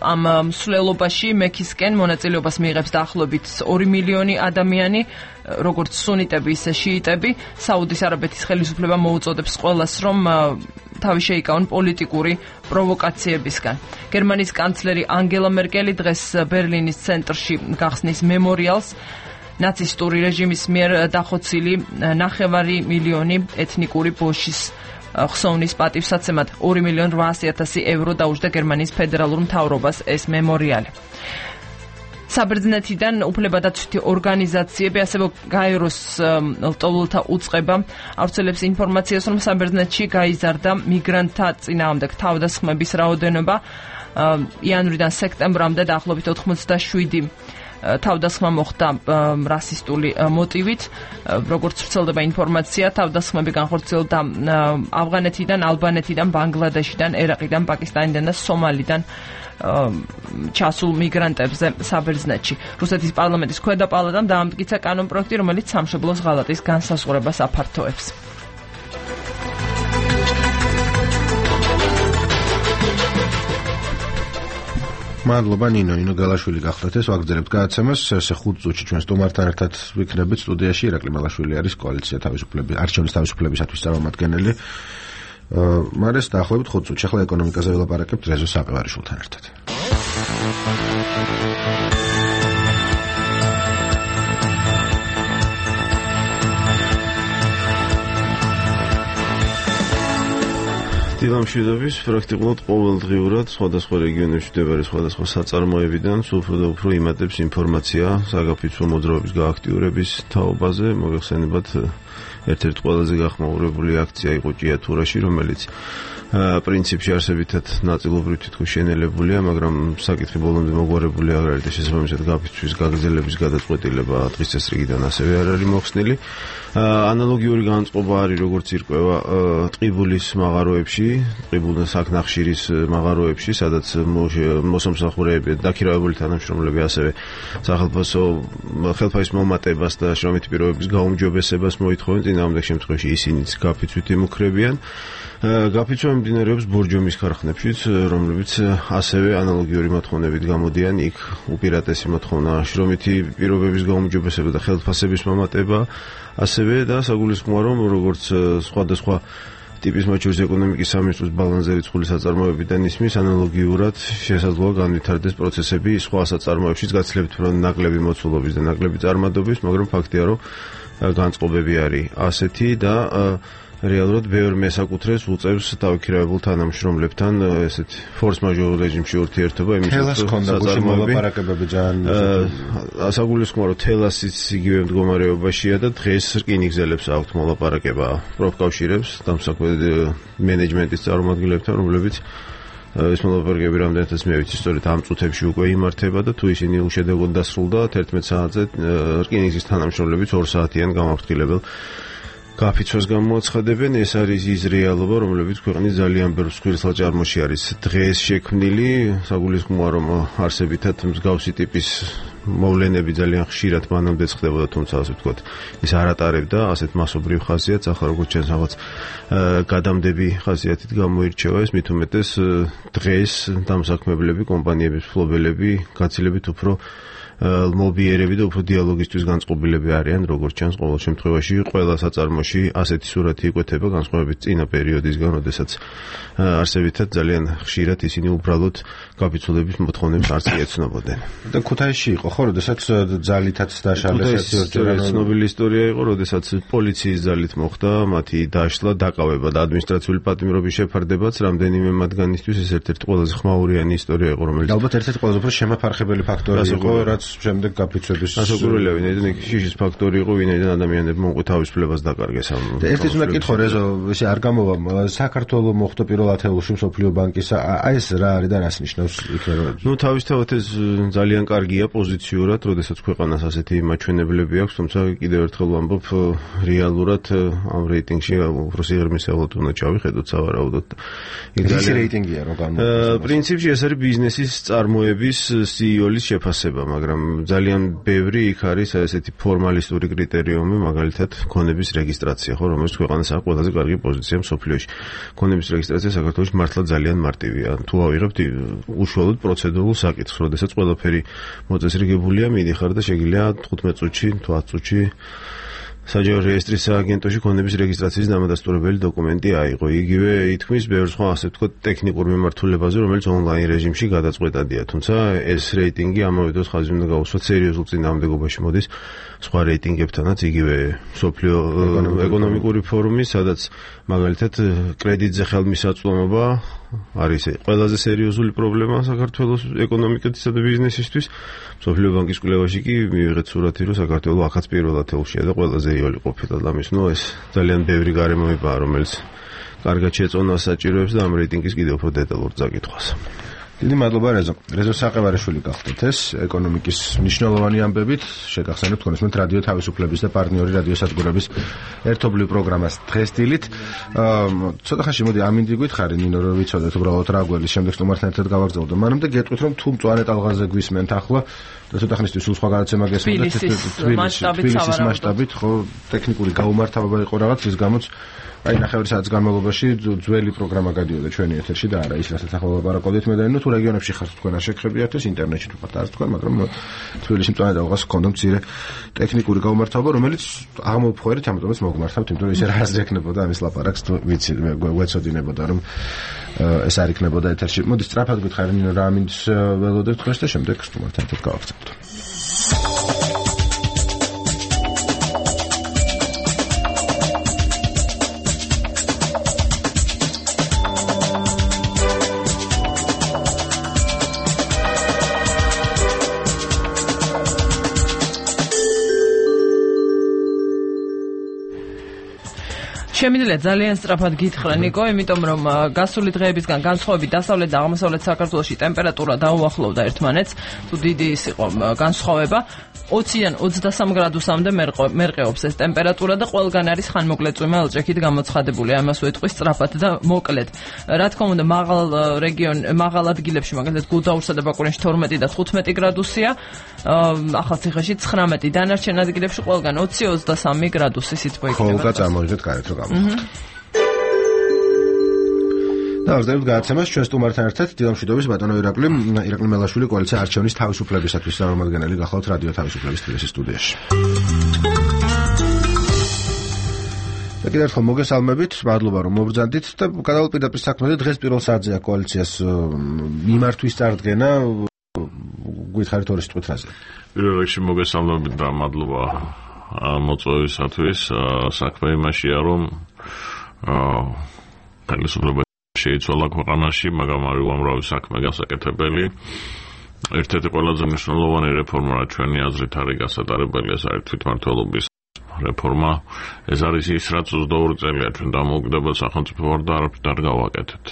ამ მსვლელობაში მექისკენ მონაწილეობას მიიღებს დაახლოებით ორი მილიონი ადამიანი, როგორც სუნიტები, ისე შიიტები. საუდის არაბეთის ხელისუფლება მოუწოდებს ყველას, რომ თავი შეიკავონ პოლიტიკური პროვოკაციებისგან. გერმანიის კანცლერი ანგელა მერკელი დღეს ბერლინის ცენტრში გახსნის მემორიალს ნაცისტური რეჟიმის მიერ დახოცილი ნახევარი მილიონი ეთნიკური ბოშის ხსოვნის პატივსაცემად ორი მილიონი რვაასი ათასი ევრო დაუჯდა გერმანიის ფედერალურ მთავრობას ეს მემორიალი. საბერძნეთიდან უფლებადაცვითი ორგანიზაციები, ასევე გაეროს ლტოლვილთა უწყება ავრცელებს ინფორმაციას, რომ საბერძნეთში გაიზარდა მიგრანტთა წინააღმდეგ თავდასხმების რაოდენობა იანვრიდან სექტემბრამდე დაახლოებით ოთხმოცდაშვიდი თავდასხმა მოხდა რასისტული მოტივით. როგორც ვრცელდება ინფორმაცია, თავდასხმები განხორციელდა ავღანეთიდან, ალბანეთიდან, ბანგლადეშიდან, ერაყიდან, პაკისტანიდან და სომალიდან ჩასულ მიგრანტებზე საბერძნეთში. რუსეთის პარლამენტის ქვედა პალატამ დაამტკიცა კანონპროექტი, რომელიც სამშობლოს ღალატის განსაზღვრებას აფართოებს. მადლობა ნინო, ნინო გალაშვილი გახლდათ ეს ვაგრძელებთ გადაცემას. ესე ხუთ წუთში ჩვენ სტუმართან ერთად ვიქნებით სტუდიაში. ირაკლი მალაშვილი არის კოალიცია თავისუფლების არჩევნების თავისუფლებისათვის წარმომადგენელი. მარეს დაახლოებით ხუთ წუთში. ახლა ეკონომიკაზე ველაპარაკებთ რეზო საყევარიშვილთან ერთად. დილამშვიდობის პრაქტიკულად ყოველდღიურად სხვადასხვა რეგიონებში მდებარე სხვადასხვა საწარმოებიდან სულ უფრო და უფრო იმატებს ინფორმაცია საგაფიცვო მოძრაობის გააქტიურების თაობაზე. მოგეხსენებათ ერთ-ერთი ყველაზე გახმაურებული აქცია იყო ჭიათურაში, რომელიც პრინციპში არსებითად ნაწილობრივ თითქოს შენელებულია, მაგრამ საკითხი ბოლომდე მოგვარებული არ არის და შესაბამისად გაფიცვის გაგრძელების გადაწყვეტილება დღის წესრიგიდან ასევე არ არის მოხსნილი. ანალოგიური განწყობა არის როგორც ირკვევა ტყიბულის მაღაროებში, ტყიბულის საქნახშირის მაღაროებში, სადაც მოსამსახურეები, დაქირავებული თანამშრომლები ასევე სახელმწიფო ხელფასის მომატებას და შრომითი პირობების გაუმჯობესებას მოითხოვენ, წინააღმდეგ შემთხვევაში ისინიც გაფიცვით იმუქრებიან. გაფიცვა მიმდინარეობს ბორჯომის ქარხნებშიც, რომლებიც ასევე ანალოგიური მოთხოვნებით გამოდიან. იქ უპირატესი მოთხოვნა შრომითი პირობების გაუმჯობესება და ხელფასების მომატება, ასევე და საგულისხმოა, რომ როგორც სხვადასხვა ტიპის მათ შორის ეკონომიკის სამინისტროს ბალანსზე რიცხული საწარმოებიდან ისმის, ანალოგიურად შესაძლოა განვითარდეს პროცესები სხვა საწარმოებშიც, გაცილებით ნაკლები მოცულობის და ნაკლები წარმადობის, მაგრამ ფაქტია, რომ განწყობები არის ასეთი და რეალურად ბევრ მესაკუთრეს უწევს დავიქირავებულ თანამშრომლებთან ესეთ ფორს მაჟორ რეჟიმში ურთიერთობა, იმის რომ მოლაპარაკებები ძალიან ასაგულისხმოა, რომ თელასიც იგივე მდგომარეობაშია და დღეს რკინიგზელებს აქვთ მოლაპარაკება პროფკავშირებს, დამსაქმე მენეჯმენტის წარმომადგენლებთან, რომლებიც ეს მოლაპარაკებები რამდენადაც მე ვიცი, სწორედ ამ წუთებში უკვე იმართება და თუ ისინი უშედეგოდ დასრულდა თერთმეტ საათზე რკინიგზის თანამშრომლებიც ორ საათიან გამაფრთხილებელ გაფიცვას გამოაცხადებენ. ეს არის ის რეალობა, რომლებიც ქვეყნის ძალიან ბევრ სქვილსაჭარმოში არის დღეს შექმნილი. საგულისხმოა, რომ არსებითად მსგავსი ტიპის მოვლენები ძალიან ხშირად მანამდე ხდებოდა, თუმცა ასე ვთქვათ, ის არ ატარებდა ასეთ მასობრივ ხასიათს. ახლა როგორც ჩანს, რაღაც გადამდები ხასიათით გამოირჩევა ეს, მით უმეტეს დღეს დამსაქმებლები, კომპანიების მფლობელები გაცილებით უფრო მობიერები და უფრო დიალოგისთვის განწყობილები არიან, როგორც ჩანს ყოველ შემთხვევაში ყველა საწარმოში ასეთი სურათი იკვეთება, განსხვავებით წინა პერიოდისგან, როდესაც არსებითად ძალიან ხშირად ისინი უბრალოდ გაფიცვლების მოთხოვნებს არც ეცნობოდნენ. და ქუთაისში იყო ხო, როდესაც ძალითაც დაშალეს ერთი ორჯერ ცნობილი ისტორია იყო, როდესაც პოლიციის ძალით მოხდა მათი დაშლა, დაკავება და ადმინისტრაციული პატიმრობის შეფარდებაც, რამდენიმე მათგანისთვის ეს ერთ-ერთი ყველაზე ხმაურიანი ისტორია იყო, რომელიც ალბათ ერთ-ერთი ყველაზე უფრო შემაფარხებელი ფაქტორი იყო, რაც შემდეგ გაფიცვების ასაკურველია, ვინაიდან შიშის ფაქტორი იყო, ვინაიდან ადამიანებმა უკვე თავისუფლებას დაკარგეს ამ. და ერთის უნდა კითხო, რეზო, ესე არ გამოვა საქართველოს მოხდა პირველ ათეულში მსოფლიო ბანკის, აი ეს რა არის და რას ნიშნავს იქნება? ნუ თავისთავად ეს ძალიან კარგია პოზიციურად, როდესაც ქვეყანას ასეთი მაჩვენებლები აქვს, თუმცა კიდევ ერთხელ ვამბობ, რეალურად ამ რეიტინგში უფრო სიღრმისეულად უნდა ჩავიხედოთ სავარაუდოდ. ეს რეიტინგია რომ გამოვა. პრინციპში ეს არის ბიზნესის წარმოების სი ი ოს-ის შეფასება, მაგრამ ძალიან ბევრი იქ არის ესეთი ფორმალისტური კრიტერიუმი, მაგალითად ქონების რეგისტრაცია, ხო, რომელიც ქვეყანას აქვს ყველაზე კარგი პოზიცია მსოფლიოში. ქონების რეგისტრაცია საქართველოში მართლა ძალიან მარტივია. თუ ავიღებთ უშუალოდ პროცედურულ საკითხს, როდესაც ყველაფერი მოწესრიგებულია, მიდიხარ და შეგიძლია თხუთმეტ წუთში, თუ ათ წუთში საჯარო რეესტრის სააგენტოში ქონების რეგისტრაციის დამადასტურებელი დოკუმენტი აიღო. იგივე ითქმის ბევრ სხვა ასე ვთქვათ ტექნიკურ მიმართულებაზე, რომელიც ონლაინ რეჟიმში გადაწყვეტადია. თუმცა ეს რეიტინგი ამავე დროს ხაზი უნდა გაუსვათ სერიოზულ წინააღმდეგობაში მოდის სხვა რეიტინგებთანაც, იგივე მსოფლიო ეკონომიკური ფორუმი, სადაც მაგალითად კრედიტზე ხელმისაწვდომობა არის ყველაზე სერიოზული პრობლემა საქართველოს ეკონომიკასა და ბიზნესისთვის. მსოფლიო ბანკის კვლევაში კი მივიღეთ სურათი, რომ საქართველო ახაც პირველ ათეულშია და ყველაზე იოლი ყოფილა და ამის, ნუ ეს ძალიან ბევრი გარემოებაა, რომელიც კარგად შეწონას საჭიროებს და ამ რეიტინგის კიდევ უფრო დეტალურ წაკითხვას. დიდი მადლობა რეზო. რეზო საყევარიშვილი გახდეთ ეს ეკონომიკის მნიშვნელოვანი ამბებით. შეგახსენებთ კონსუმენტ რადიო თავისუფლების და პარტნიორი რადიოსადგურების ერთობლივ პროგრამას დღეს დილით. ცოტა ხანში მოდი ამინდი გითხარი ნინო, რომ ვიცოდეთ უბრალოდ რა გველის შემდეგ სტუმართან ერთად გავაგზავნოთ. მანამდე გეტყვით, რომ თუ მწვანე ტალღაზე გვისმენთ ახლა და ცოტა ხანისთვის სულ სხვა განაცემა გესმენთ თბილისის მასშტაბით, ხო, ტექნიკური გაუმართავება იყო რაღაც, რის გამოც აი ნახევარი საათის განმავლობაში ძველი პროგრამა გადიოდა ჩვენი ეთერში და არა ის რასაც ახლა ვლაპარაკობდით მე და ნუ თუ რეგიონებში ხართ თქვენ არ შეგხებიათ ეს ინტერნეტში თუ ხართ არ თქვენ, მაგრამ თბილისში მწვანე ტალღას ჰქონდა მცირე ტექნიკური გაუმართავება, რომელიც აღმოფხვერით, ამიტომაც მოგმართავთ, იმიტომ რომ ისე რა აზრი ექნებოდა ამის ლაპარაკს, თუ ვიცი მე გვეცოდინებოდა რომ ეს არ იქნებოდა ეთერში. მოდი სწრაფად გითხარი ნინო რა ამინდს ველოდებ თქვენს და შემდეგ სტუმართან ერთად გავაგზავნოთ. შემიძლია ძალიან სწრაფად გითხრა ნიკო, იმიტომ რომ გასული დღეებისგან განსხვავებით დასავლეთ და აღმოსავლეთ საქართველოში ტემპერატურა დაუახლოვდა ერთმანეთს, თუ დიდი ის იყო განსხვავება. ოციდან ოცდასამ გრადუსამდე მერყეობს ეს ტემპერატურა და ყველგან არის ხანმოკლეწვიმა ელჭექით გამოცხადებული. ამას ვეთქვი სწრაფად და მოკლედ. რა თქმა უნდა, მაღალ რეგიონ, მაღალ ადგილებში, მაგალითად გუდაურსა და ბაკურიანში თორმეტი და თხუთმეტი გრადუსია, ახალციხეში ცხრამეტი, დანარჩენ ადგილებში ყველგან ოცი ოცდასამი გრადუსი სითბო იქნება. ხოლმე წამოვიდეთ გარეთ რომ გამოხატოთ. და ვზდებით გადაცემას ჩვენ სტუმართან ერთად დილამშვიდობის ბატონო ირაკლი, ირაკლი მელაშვილი კოალიცია არჩევნის თავისუფლებისათვის წარმომადგენელი გახლავთ რადიო თავისუფლების თბილისის სტუდიაში. და კიდევ ერთხელ მოგესალმებით, მადლობა რომ მობრძანდით და გადავალ პირდაპირ საქმეზე. დღეს პირველ სართზეა კოალიციას მიმართვის წარდგენა. გითხარით ორი სიტყვით რაზე? პირველ რიგში მოგესალმებით და მადლობა მოწვევისათვის. საქმე იმაშია რომ ხელისუფლება შეიცვალა ქვეყანაში, მაგრამ არის უამრავი საქმე გასაკეთებელი. ერთ-ერთი ყველაზე მნიშვნელოვანი რეფორმა, რაც ჩვენი აზრით არის გასატარებელი, ეს არის თვითმმართველობის რეფორმა. ეს არის ის, რაც ოცდაორი წელია ჩვენ დამოუკიდებელ სახელმწიფო ვარ და არაფრით არ გავაკეთეთ.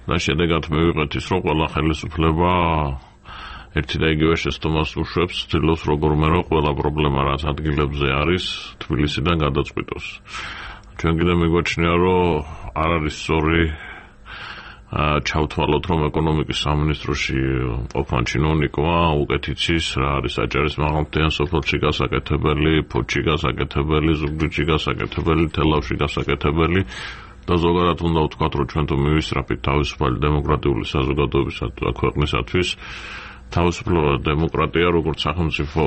და შედეგად მივიღეთ ის, რომ ყველა ხელისუფლება ერთი და იგივე შეცდომას უშვებს, ცდილობს როგორმე რომ ყველა პრობლემა, რაც ადგილებზე არის, თბილისიდან გადაწყვიტოს. ჩვენ კიდევ მიგვაჩნია, რომ არ არის სწორი ჩავთვალოთ, რომ ეკონომიკის სამინისტროში ყოფან ჩინოვნიკმა უკეთ იცის რა არის აჭარის მაღალმთიან სოფელში გასაკეთებელი, ფოთში გასაკეთებელი, ზუგდიდში გასაკეთებელი, თელავში გასაკეთებელი და ზოგადად უნდა ვთქვათ, რომ ჩვენ თუ მივისწრაფით თავისუფალი დემოკრატიული საზოგადოებისა და ქვეყნისათვის, თავისუფლება და დემოკრატია როგორც სახელმწიფო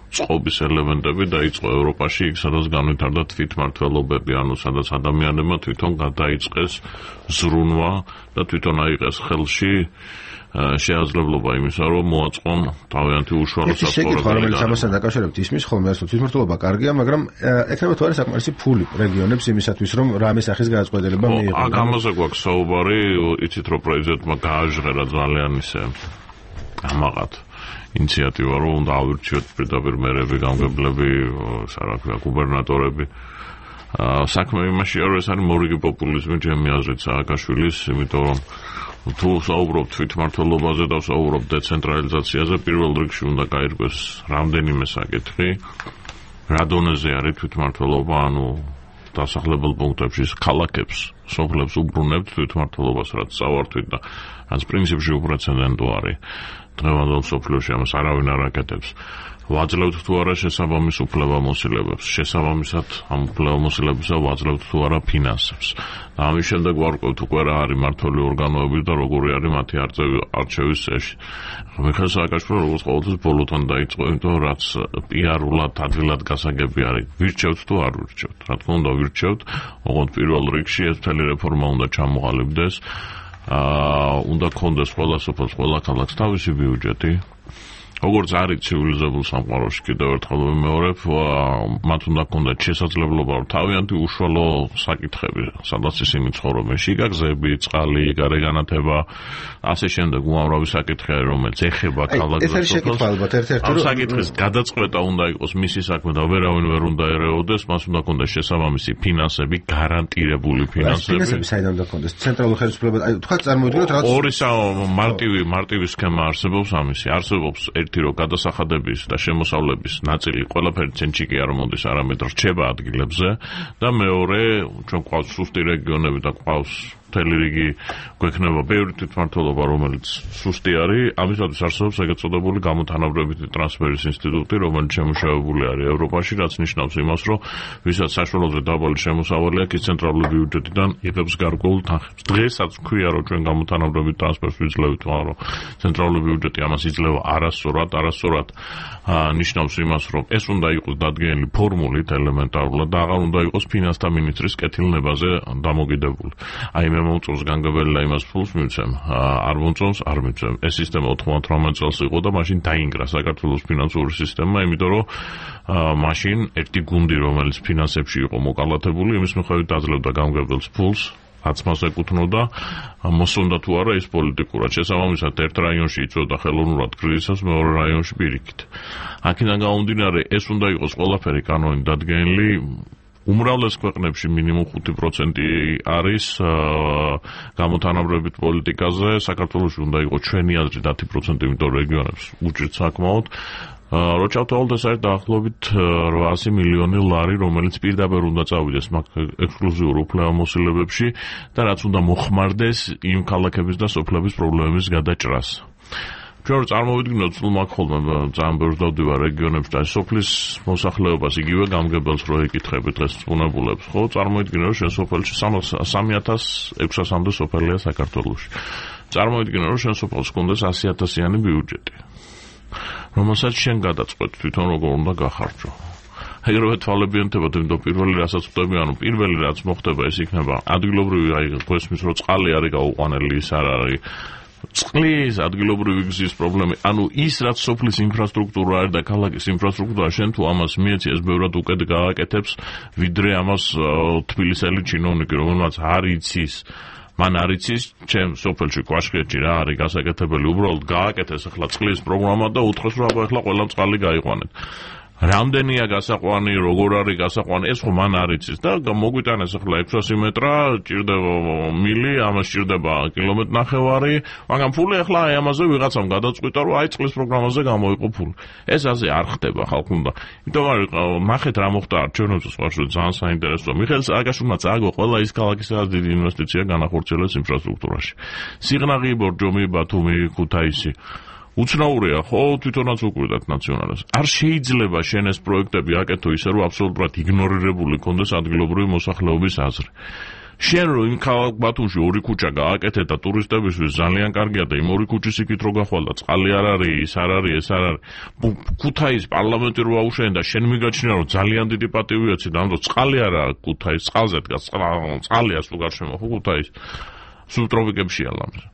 წყობის ელემენტები დაიწყო ევროპაში, იქ სადაც განვითარდა თვითმმართველობები, ანუ სადაც ადამიანებმა თვითონ გადაიწყეს ზრუნვა და თვითონ აიღეს ხელში შეაძლებლობა იმისა, რომ მოაწყონ თავიანთი უშუალო საცხოვრებელი. რომელიც ამასთან დაკავშირებით ისმის ხოლმე, რომ თვითმმართველობა კარგია, მაგრამ ექნება თუ არის საკმარისი ფული რეგიონებს იმისათვის, რომ რამე სახის გადაწყვეტილება მიიღონ. აქ ამაზე გვაქვს საუბარი, იცით რომ პრეზიდენტმა გააჟღერა ძალიან ისე ამაღად ინიციატივა, რომ უნდა ავირჩიოთ პირდაპირ მერები, გამგებლები, რა ქვია, გუბერნატორები. საქმე იმაშია, რომ ეს არის მორიგი პოპულიზმი ჩემი აზრით სააკაშვილის, იმიტომ რომ თუ საუბრობთ თვითმმართველობაზე და საუბრობთ დეცენტრალიზაციაზე, პირველ რიგში უნდა გაირკვეს რამდენიმე საკითხი, რა დონეზე არის თვითმმართველობა, ანუ დასახლებულ პუნქტებში ქალაქებს, სოფლებს უბრუნებთ თვითმმართველობას, რაც წავართვით და რაც პრინციპში უპრეცედენტო არის. დღევანდელ მსოფლიოში ამას არავინ არ აკეთებს. ვაძლევთ თუ არა შესაბამის უფლებამოსილებებს, შესაბამისად ამ უფლებამოსილებებსა ვაძლევთ თუ არა ფინანსებს. და ამის შემდეგ ვარკვევთ უკვე რა არის მმართველი ორგანოები და როგორი არის მათი არჩევის წესი. მიხეილ სააკაშვილი როგორც ყოველთვის ბოლოთან დაიწყო, იმიტომ რაც პიარულად ადვილად გასაგები არის. ვირჩევთ თუ არ ვირჩევთ? რა თქმა უნდა ვირჩევთ, ოღონდ პირველ რიგში ეს მთელი რეფორმა უნდა ჩამოყალიბდეს. აა უნდა გქონდეს ყველა სოფელს, ყველა ქალაქს თავისი ბიუჯეტი. როგორც არის ცივილიზებულ სამყაროში, კიდევ ერთხელ ვიმეორებ, მათ უნდა გქონდეთ შესაძლებლობა, რომ თავიანთი უშუალო საკითხები, სადაც ისინი ცხოვრობენ, შიგაგზები, წყალი, გარეგანათება, ასე შემდეგ უამრავი საკითხი არის, რომელიც ეხება ქალაქს და სოფელს. ამ საკითხის გადაწყვეტა უნდა იყოს მისი საქმე და ვერავინ ვერ უნდა ერეოდეს, მას უნდა გქონდეს შესაბამისი ფინანსები, გარანტირებული ფინანსები. ფინანსები საიდან უნდა გქონდეს? ცენტრალური ხელისუფლება, აი თქვა წარმოვიდგინოთ რა. ორი მარტივი მარტივი სქემა არსებობს ამისი. არსებობს ერთი რომ გადასახადების და შემოსავლების ნაწილი ყველაფერი ცენტრში კი არ მოდის, არამედ რჩება ადგილებზე და მეორე ჩვენ გვყავს სუსტი რეგიონები და გვყავს მთელი რიგი გვექნება ბევრი თვითმმართველობა, რომელიც სუსტი არის. ამისათვის არსებობს ეგეთ წოდებული გამოთანაბრებითი ტრანსფერის ინსტიტუტი, რომელიც შემუშავებული არის ევროპაში, რაც ნიშნავს იმას, რომ ვისაც საშუალოზე დაბალი შემოსავალი აქვს, ის ცენტრალური ბიუჯეტიდან იღებს გარკვეულ თანხებს. დღესაც ვქვია, რომ ჩვენ გამოთანაბრებით ტრანსფერს ვიძლევით, მაგრამ ცენტრალური ბიუჯეტი ამას იძლევა არასწორად, არასწორად ნიშნავს იმას, რომ ეს უნდა იყოს დადგენილი ფორმულით ელემენტარულად და აღარ უნდა იყოს ფინანსთა მინისტრის კეთილნებაზე დამოკიდებული. აი მე მომწონს განგებელი და იმას ფულს მივცემ, არ მომწონს არ მივცემ. ეს სისტემა ოთხმოცდაოთხ წელს იყო და მაშინ დაინგრა საქართველოს ფინანსური სისტემა, იმიტომ რომ მაშინ ერთი გუნდი, რომელიც ფინანსებში იყო მოკალათებული, იმის მიხედვით აძლევდა გამგებელს ფულს, რაც მას ეკუთვნოდა, მოსონდა თუ არა ის პოლიტიკურად. შესაბამისად ერთ რაიონში იწვევდა ხელოვნურად კრიზისს, მეორე რაიონში პირიქით. აქედან გამომდინარე, ეს უნდა იყოს ყველაფერი კანონით დადგენილი უმრავლეს ქვეყნებში მინიმუმ ხუთი პროცენტი არის გამოთანაბრებით პოლიტიკაზე, საქართველოში უნდა იყოს ჩვენი აზრით ათი პროცენტი, იმიტომ რეგიონებს უჭირთ საკმაოდ. რო ჩავთვალოთ, ეს არის დაახლოებით რვაასი მილიონი ლარი, რომელიც პირდაპირ უნდა წავიდეს მაგ ექსკლუზიურ უფლებამოსილებებში და რაც უნდა მოხმარდეს იმ ქალაქების და სოფლების პრობლემების გადაჭრას. ჩვენ წარმოვიდგინოთ, სულ მაგ ხოლმე ძალიან ბევრს დავდივარ რეგიონებში და სოფლის მოსახლეობას იგივე გამგებელს რო ეკითხები დღეს უნებულებს, ხო? წარმოვიდგინე, რომ შენ სოფელში სამი ათას ექვსასამდე სოფელია საქართველოში. წარმოვიდგინე, რომ შენ სოფელს გქონდეს ასი ათასიანი ბიუჯეტი, რომელსაც შენ გადაწყვეტ თვითონ როგორ უნდა გახარჯო. ეგრევე თვალებიანთებად, იმიტომ პირველი რასაც ვხვდები, ანუ პირველი რაც მოხდება, ეს იქნება ადგილობრივი, აი გვესმის რომ წყალი არის გაუყვანელი, ის არ არის წყლის ადგილობრივი გზის პრობლემა, ანუ ის რაც სოფლის ინფრასტრუქტურა არის და ქალაქის ინფრასტრუქტურა, შენ თუ ამას მიეცი, ეს ბევრად უკეთ გააკეთებს, ვიდრე ამას თბილისელი ჩინოვნიკი, რომელმაც არ იცის, მან არ იცის, ჩემ სოფელში კვაშხეთში რა არის გასაკეთებელი, უბრალოდ გააკეთეს ახლა წყლის პროგრამა და უთხრეს, რომ აბა ახლა ყველა წყალი გაიყვანეთ. რამდენია გასაყვანი, როგორ არის გასაყვანი, ეს ხო მან არ იცის და მოგვიტანეს ახლა ექვსასი მეტრა, ჭირდება მილი, ამას ჭირდება კილომეტრი ნახევარი, მაგრამ ფული ახლა აი ამაზე ვიღაცამ გადაწყვიტა, რომ აი წყლის პროგრამაზე გამოიყო ფული. ეს ასე არ ხდება ხალხუნდა. იმიტომ რომ ნახეთ რა მოხდა არჩევნებზე სხვაში, ძალიან საინტერესოა. მიხეილ სააკაშვილმა წააგო ყველა ის ქალაქი, სადაც დიდი ინვესტიცია განახორციელეს ინფრასტრუქტურაში. სიღნაღი, ბორჯომი, ბათუმი, ქუთაისი. უცნაურია, ხო, თვითონაც უკვირდათ ნაციონალებს. არ შეიძლება შენ ეს პროექტები აკეთო ისე, რომ აბსოლუტურად იგნორირებული კონდეს ადგილობრივი მოსახლეობის აზრი. შენ რო იმ ქალაქ ბათუმში ორი ქუჩა გააკეთე და ტურისტებისთვის ძალიან კარგია და იმ ორი ქუჩის იქით რო გახვალ და წყალი არ არის, ის არ არის, ეს არ არის. ქუთაის პარლამენტი რო აუშენე და შენ მიგაჩნია რომ ძალიან დიდი პატივი აცი და ამიტომ წყალი არა ქუთაის წყალზე დგას, წყალია სულ გარშემო ხო ქუთაის სუბტროპიკებშია ლამზე.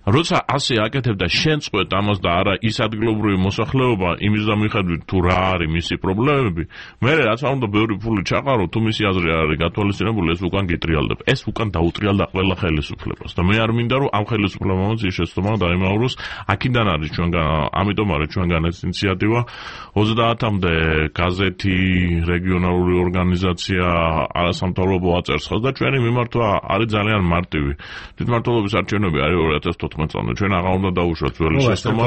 როცა ასე აკეთებ და შენ წყვეტ ამას და არა ის ადგილობრივი მოსახლეობა იმის და მიხედვით თუ რა არის მისი პრობლემები, მე რაც არ უნდა ბევრი ფული ჩაყარო, თუ მისი აზრი არ არის გათვალისწინებული, ეს უკან გიტრიალდება. ეს უკან დაუტრიალდა ყველა ხელისუფლებას და მე არ მინდა რომ ამ ხელისუფლებამაც ის შეცდომა დაიმავროს. აქედან არის ჩვენგან, ამიტომ არის ჩვენგან ეს ინიციატივა. ოცდაათამდე გაზეთი, რეგიონალური ორგანიზაცია, არასამთავრობო აწერს და ჩვენი მიმართვა არის ძალიან მარტივი. თვითმმართველობის არჩევნები არის ორი ათას თოთხმეტ წლამდე. ჩვენ აღარ უნდა დავუშვათ ძველი შეცდომა.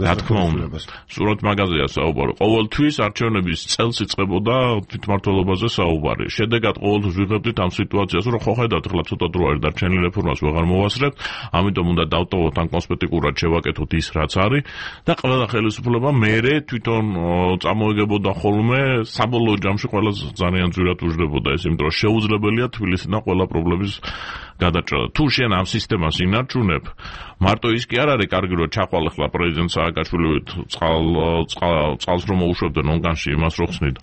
რა თქმა უნდა. სურათ მაგაზეა საუბარი. ყოველთვის არჩევნების წელს იწყებოდა თვითმმართველობაზე საუბარი. შედეგად ყოველთვის ვიღებდით ამ სიტუაციას, რომ ხო ხედავთ, ახლა ცოტა დრო არის დარჩენილი რეფორმას ვეღარ მოვასწრებთ, ამიტომ უნდა დავტოვოთ ან კონსპექტიკურად შევაკეთოთ ის რაც არის და ყველა ხელისუფლება მერე თვითონ წამოეგებოდა ხოლმე საბოლოო ჯამში ყველა ძალიან ძვირად უждებოდა ეს, იმიტომ რომ შეუძლებელია თბილისიდან ყველა პრობლემის გადაჭრა. თუ შენ ამ სისტემას ინარჩუნებ, მარტო ის კი არ არის კარგი, რომ ჩახვალ ახლა პრეზიდენტ სააკაშვილი წყალ წყალს რომ მოუშვებდნენ ონგანში იმას რო ხსნიდა.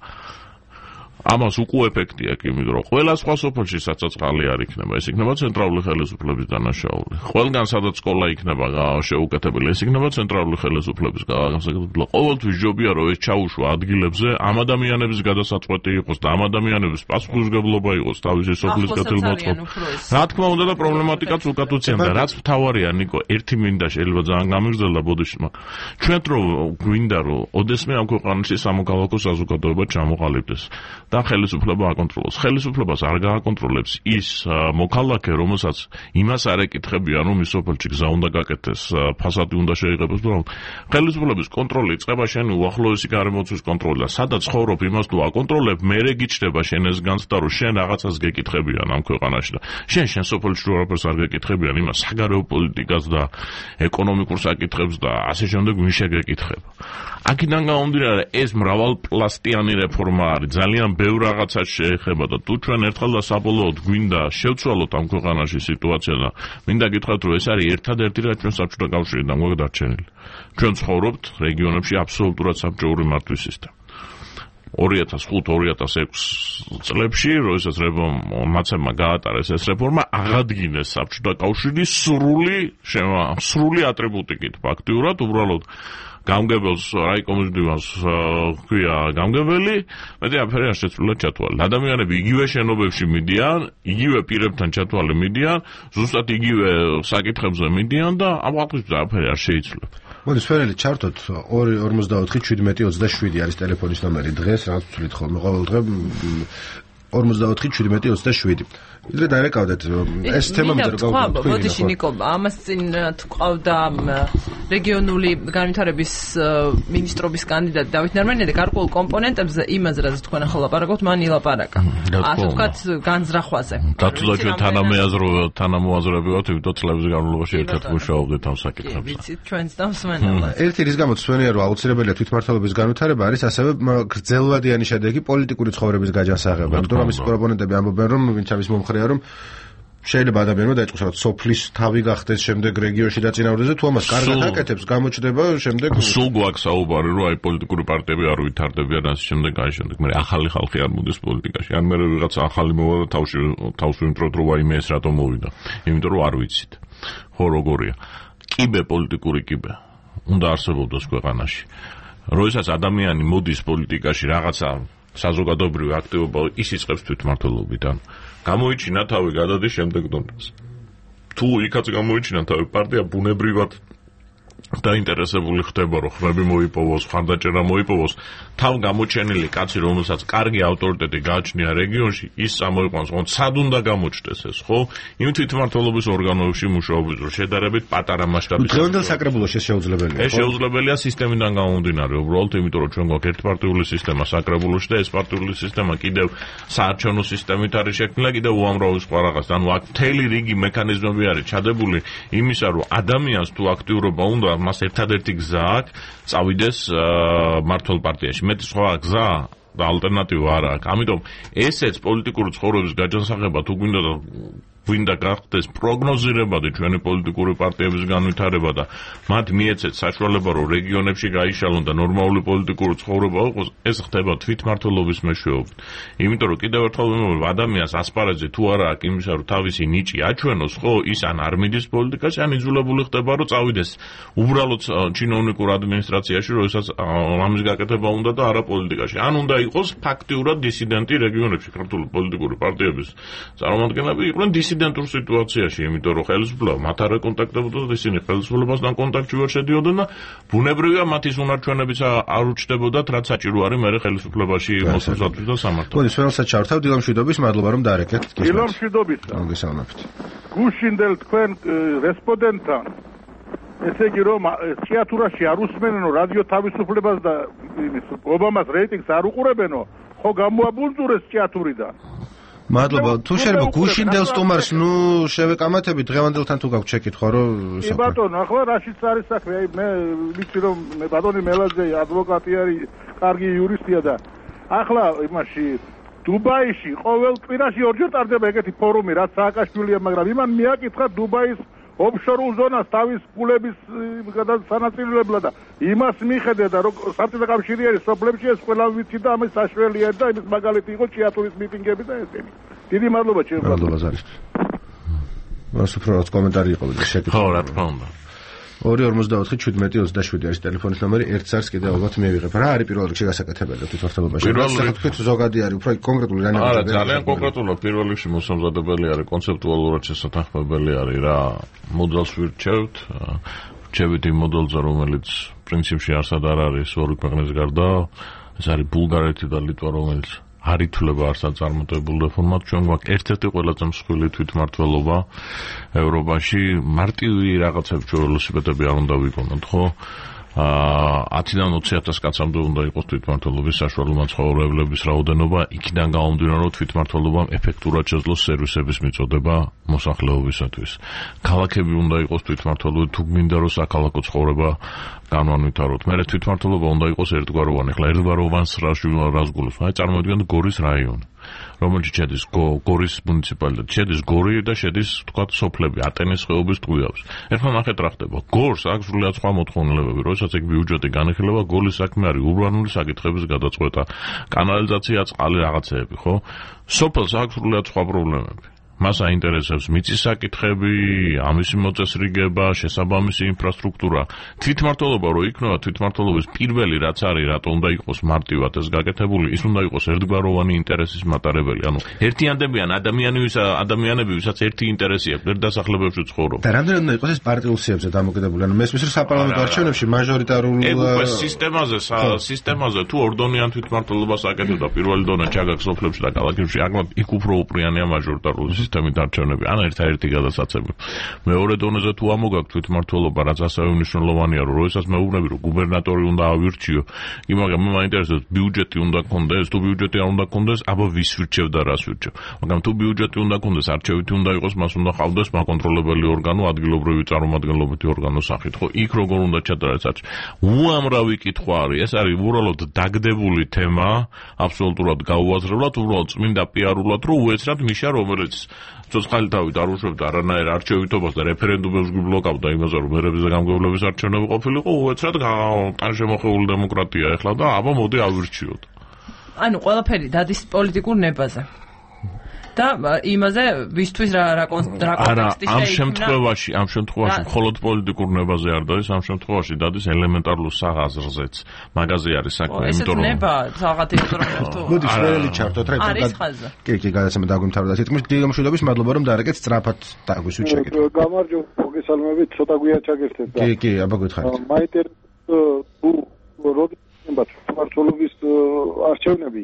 ამას უკუ ეფექტი აქვს, იმიტომ რომ ყველა სხვა სოფელში საცოცხალი არ იქნება, ეს იქნება ცენტრალური ხელისუფლების დანაშაული. ყველგან სადაც სკოლა იქნება შეუკეთებელი, ეს იქნება ცენტრალური ხელისუფლების განსაკუთრებული. ყოველთვის ჯობია რომ ეს ჩაუშვა ადგილებზე, ამ ადამიანების გადასაწყვეტი იყოს და ამ ადამიანების პასუხისმგებლობა იყოს თავისი სოფლის გათილმოწყობა. რა თქმა უნდა და პრობლემატიკაც უკათ უცემდა, რაც მთავარია ნიკო, ერთი მინდა შეიძლება ძალიან გამიგრძელდა ბოდიშმა. ჩვენ რო გვინდა რომ ოდესმე ამ ქვეყანაში სამოქალაქო საზოგადოება ჩამოყალიბდეს. და ხელისუფლება აკონტროლოს. ხელისუფლებას არ გააკონტროლებს ის მოქალაქე, რომელსაც იმას არ ეკითხებიან, რომ ის სოფელში გზა უნდა გაკეთდეს, ფასადი უნდა შეიღებოს, რომ ხელისუფლების კონტროლი იწყება შენი უახლოესი გარემოცვის კონტროლი და სადაც ცხოვრობ, იმას თუ აკონტროლებ, მერე გიჩნდება შენ ეს განცდა, რომ შენ რაღაცას გეკითხებიან ამ ქვეყანაში და შენ შენ სოფელში რაღაცას არ გეკითხებიან, იმას საგარეო პოლიტიკას და ეკონომიკურ საკითხებს და ასე შემდეგ ვინ შეგეკითხება. აქედან გამომდინარე, ეს მრავალპლასტიანი რეფორმა არის, ძალიან ბევრ რაღაცას შეეხება და თუ ჩვენ ერთხელ და საბოლოოდ გვინდა შევცვალოთ ამ ქვეყანაში სიტუაცია და მინდა გითხრათ, რომ ეს არის ერთადერთი რაც ჩვენ საბჭოთა კავშირიდან გვაქვს დარჩენილი. ჩვენ ცხოვრობთ რეგიონებში აბსოლუტურად საბჭოური მართვის სისტემა. ორი ათას ხუთი ორი ათას ექვსი წლებში, როდესაც მაცემმა გაატარეს ეს რეფორმა, აღადგინეს საბჭოთა კავშირის სრული სრული ატრიბუტიკით ფაქტიურად, უბრალოდ გამგებელს რაიკომის დივანს ქვია გამგებელი, მეტი აფერი არ შეცვლილა ჩათვალე. ადამიანები იგივე შენობებში მიდიან, იგივე პირებთან ჩათვალე მიდიან, ზუსტად იგივე საკითხებზე მიდიან და ამ ხალხისთვის აფერი არ შეიცვლება. მოდი სფერელი ჩართოთ ორი ორმოცდაოთხი შვიდმეტი ოცდაშვიდი არის ტელეფონის ნომერი დღეს, რაც ვთვლით ხოლმე ყოველ დღე ორმოცდაოთხი შვიდმეტი ოცდაშვიდი. იდრე დაერეკავდეთ ეს თემა მიდრეკავდეთ. ბოდიში ნიკო, ამას წინ თქვავდა რეგიონული განვითარების მინისტრობის კანდიდატი დავით ნარმენიძე გარკვეულ კომპონენტებზე იმაზე რაც თქვენ ახლა ლაპარაკობთ, მან ილაპარაკა. ასე ვთქვათ, განზრახვაზე. დათულა ჩვენ თანამეაზრობა, თანამოაზრები ვართ, იმიტომ წლების განმავლობაში ერთად მუშაობდით ამ საკითხებზე. ვიცით, ჩვენც და მსმენელად. ერთი რის გამოც ჩვენია რომ აუცილებელია თვითმმართველობის განვითარება არის ასევე გრძელვადიანი შედეგი პოლიტიკური ცხოვრების გაჯანსაღება. იმიტომ რომ ის პროპონენტები ამბობენ რომ ვინც ამის მომხრეა რომ შეიძლება ადამიანმა დაიწყოს რაღაც სოფლის თავი გახდეს შემდეგ რეგიონში დაწინაურდეს და თუ ამას კარგად აკეთებს გამოჩნდება შემდეგ სულ გვაქვს საუბარი რომ აი პოლიტიკური პარტიები არ ვითარდებიან ასე შემდეგ აი შემდეგ მე ახალი ხალხი არ მოდის პოლიტიკაში ან მე ვიღაც ახალი მოვა და თავში თავს ვიმტროთ რომ აი მე ეს რატომ მოვიდა იმიტომ რომ არ ვიცით ხო როგორია კიბე პოლიტიკური კიბე უნდა არსებობდეს ქვეყანაში როდესაც ადამიანი მოდის პოლიტიკაში რაღაცა საზოგადოებრივი აქტივობა ის იწყებს თვითმმართველობიდან გამოიჩინა თავი გადადის შემდეგ დონეზე. თუ იქაც გამოიჩინა თავი პარტია ბუნებრივად დაინტერესებული ხდება რომ ხმები მოიპოვოს, ხარდაჭერა მოიპოვოს, თავ გამოჩენილი კაცი რომელსაც კარგი ავტორიტეტი გააჩნია რეგიონში, ის წამოიყვანს, რომ სად უნდა გამოჩნდეს ეს, ხო? იმ თვითმმართველობის ორგანოებში მუშაობის დრო შედარებით პატარა მასშტაბის. დღევანდელ საკრებულოში ეს შეუძლებელია. ეს შეუძლებელია სისტემიდან გამომდინარე, უბრალოდ იმიტომ რომ ჩვენ გვაქვს ერთპარტიული სისტემა საკრებულოში და ეს პარტიული სისტემა კიდევ საარჩევნო სისტემით არის შექმნილი, კიდევ უამრავი სხვა რაღაც. ანუ აქ მთელი რიგი მექანიზმები არის ჩადებული იმისა, რომ ადამიანს თუ აქტიურობა უნდა მას ერთადერთი გზა აქვს წავიდეს მმართველ პარტიაში. მეტი სხვა გზა და ალტერნატივა არ აქვს. ამიტომ ესეც პოლიტიკური ცხოვრების გაჯანსაღება თუ გვინდა და გვინდა გახდეს პროგნოზირებადი ჩვენი პოლიტიკური პარტიების განვითარება და მათ მიეცეთ საშუალება რომ რეგიონებში გაიშალონ და ნორმალური პოლიტიკური ცხოვრება იყოს, ეს ხდება თვითმმართველობის მეშვეობით. იმიტომ რომ კიდევ ერთხელ ვიმეორებ, ადამიანს ასპარეზი თუ არა აქვს იმისა რომ თავისი ნიჭი აჩვენოს, ხო, ის ან არ მიდის პოლიტიკაში, ან იძულებული ხდება რომ წავიდეს უბრალოდ ჩინოვნიკურ ადმინისტრაციაში, როდესაც ამის გაკეთება უნდა და არა პოლიტიკაში. ან უნდა იყოს ფაქტიურად დისიდენტი რეგიონებში ქართული პოლიტიკური პარტიების წარმომადგენლები იყვნენ დისიდენტურ სიტუაციაში, იმიტომ რომ ხელისუფლება მათ არ ეკონტაქტებოდა და ისინი ხელისუფლებასთან კონტაქტში ვერ შედიოდნენ და ბუნებრივია მათი უნარჩვენებიც არ უჩნდებოდათ, რაც საჭირო არის მე ხელისუფლებაში მოსვლისათვის და სამართალ. მოდი, სველსაც ჩავთავ დილამ შვიდობის, მადლობა რომ დაარეკეთ. დილამ შვიდობის. მოგესალმებით. გუშინდელ თქვენ რესპონდენტთან ესე იგი რომ თეატრაში არ უსმენენო რადიო თავისუფლებას და ობამას რეიტინგს არ უყურებენო, ხო გამოაბუნძურეს თეატრიდან. მადლობა. თუ შეიძლება გუშინდელ სტუმარს ნუ შევეკამათებით დღევანდელთან თუ გაქვთ შეკითხვა რომ კი ბატონო, ახლა რაშიც არის საქმე? აი მე ვიცი რომ მე ბატონი მელაძე ადვოკატი არის, კარგი იურისტია და ახლა იმაში დუბაიში ყოველ კვირაში ორჯერ ტარდება ეგეთი ფორუმი, რაც სააკაშვილია, მაგრამ იმან მიაკითხა დუბაის ოფშორულ ზონას თავის ფულების გადასანაწილებლად და იმას მიხედე და რომ საბჭოთა კავშირი არის სოფლებში ეს ყველა ვიცი და ამის საშუალია და იმის მაგალითი იყო ჭიათურის მიტინგები და ესენი. დიდი მადლობა ჩემო. მადლობა ზარისთვის. მას უფრო რაც კომენტარი იყო შეკითხვა. ხო, რა თქმა უნდა. ორი ორმოცდაოთხი შვიდმეტი ოცდაშვიდი არის ტელეფონის ნომერი, ერთ წარს კიდევ ალბათ მივიღებ. რა არის პირველ რიგში გასაკეთებელი თვითმმართველობაში? თქვით ზოგადი არის, უფრო კონკრეტული რანაირად? არა, ძალიან კონკრეტულად პირველ რიგში მოსამზადებელი არის, კონცეპტუალურად შესათანხმებელი არის რა მოდელს ვირჩევთ. ვირჩევთ იმ მოდელზე, რომელიც პრინციპში არსად არ არის ორი ქვეყნის გარდა, ეს არის ბულგარეთი და ლიტვა, რომელიც არ ითვლება არსად წარმატებულ რეფორმად. ჩვენ გვაქვს ერთ-ერთი ყველაზე მსხვილი თვითმმართველობა ევროპაში. მარტივი რაღაცები ველოსიპედები არ უნდა ვიყონოთ, ხო? ათიდან ოცი ათას კაცამდე უნდა იყოს თვითმმართველობის საშუალო მაცხოვრებლების რაოდენობა, იქიდან გამომდინარე რომ თვითმმართველობამ ეფექტურად შეძლოს სერვისების მიწოდება მოსახლეობისათვის. ქალაქები უნდა იყოს თვითმმართველობები, თუ გვინდა რომ საქალაქო ცხოვრება განვანვითაროთ. მე თვითმმართველობა უნდა იყოს ერთგვაროვანი. ახლა ერთგვაროვანს რას გულობს? აი წარმოიდგინეთ გორის რაიონი, რომელშიც შედის გორის მუნიციპალიტეტი, შედის გორი და შედის თქვათ სოფლები, ატენის ხეობის ტყუილებს. ერთხელ ნახეთ რა ხდება. გორს აქვს სრულიად სხვა მოთხოვნილებები, როდესაც ეგ ბიუჯეტი განიხილება, გოლის საქმე არის ურბანული საკითხების გადაწყვეტა, კანალიზაცია, წყალი, რაღაცეები, ხო? სოფელს აქვს სრულიად სხვა პრობლემები. მას აინტერესებს მიწის საკითხები, ამისი მოწესრიგება, შესაბამისი ინფრასტრუქტურა. თვითმმართველობა რო იქნება, თვითმმართველობის პირველი რაც არის, რატო უნდა იყოს მარტივად ეს გაკეთებული, ის უნდა იყოს ერთგვაროვანი ინტერესის მატარებელი. ანუ ერთიანდებიან ადამიანების ადამიანები, ვისაც ერთი ინტერესი აქვს, ერთ დასახლებებში ცხოვრობ. და რამდენად უნდა იყოს ეს პარტიულ სიებზე დამოკიდებული? ანუ მესმის რომ საპარლამენტო არჩევნებში მაჟორიტარულ სისტემაზე, სისტემაზე თუ ორდონიან თვითმმართველობას აკეთებ და პირველი დონა ჩაგაქვს სოფლებში და ქალაქებში, აკლად იქ უფრო უპრიანია მაჟორიტარული სისტემით არჩევნები. ან ერთადერთი გადასაცემი. მეორე დონეზე თუ ამოგაქვს თვითმმართველობა, რაც ასევე მნიშვნელოვანია, რომ როდესაც მეუბნები, რომ გუბერნატორი უნდა ავირჩიო, კი მაგრამ მე მაინტერესებს ბიუჯეტი უნდა გქონდეს, თუ ბიუჯეტი არ უნდა გქონდეს, აბა ვის ვირჩევ და რას ვირჩევ. მაგრამ თუ ბიუჯეტი უნდა გქონდეს, არჩევითი უნდა იყოს, მას უნდა ყავდეს მაკონტროლებელი ორგანო, ადგილობრივი წარმომადგენლობითი ორგანო სახით, ხო? იქ როგორ უნდა ჩადარდეს არჩ. უამრავი კითხვა არის, ეს არის უბრალოდ დაგდებული თემა, აბსოლუტურად გაუაზრებლად, უბრალოდ წმინდა პიარულად, რომ უეცრად მიშა, რომელიც ცოცხალი თავით არ უშვებდა არანაირ არჩევითობას და რეფერენდუმებს გიბლოკავდა იმაზე, რომ მერების და გამგებლობის არჩევნები ყოფილიყო, უეცრად ტანშემოხეული დემოკრატია ეხლა და აბა მოდი ავირჩიოთ. ანუ ყველაფერი დადის პოლიტიკურ ნებაზე. და იმაზე ვისთვის რა რა კონტექსტი შეიქმნა? ამ შემთხვევაში, ამ შემთხვევაში მხოლოდ პოლიტიკურ ნებაზე არ დადის, ამ შემთხვევაში დადის ელემენტარულ საღაზრზეც. მაგაზე არის საქმე, იმიტომ რომ ნება საღათ იმიტომ რომ თუ მოდი შველი ჩართოთ რა არის ხაზი. კი, კი, გადაცემა დაგვიმთავრდა სიტყვის დიდი გამშვიდობის, მადლობა რომ დაარეკეთ სწრაფად დაგვისვით შეკითხვა. გამარჯობა, მოგესალმებით, ცოტა გვიან ჩაგერთეთ და კი, კი, აბა გითხარით. მაინტერესებს თუ როდის მართლობის არჩევნები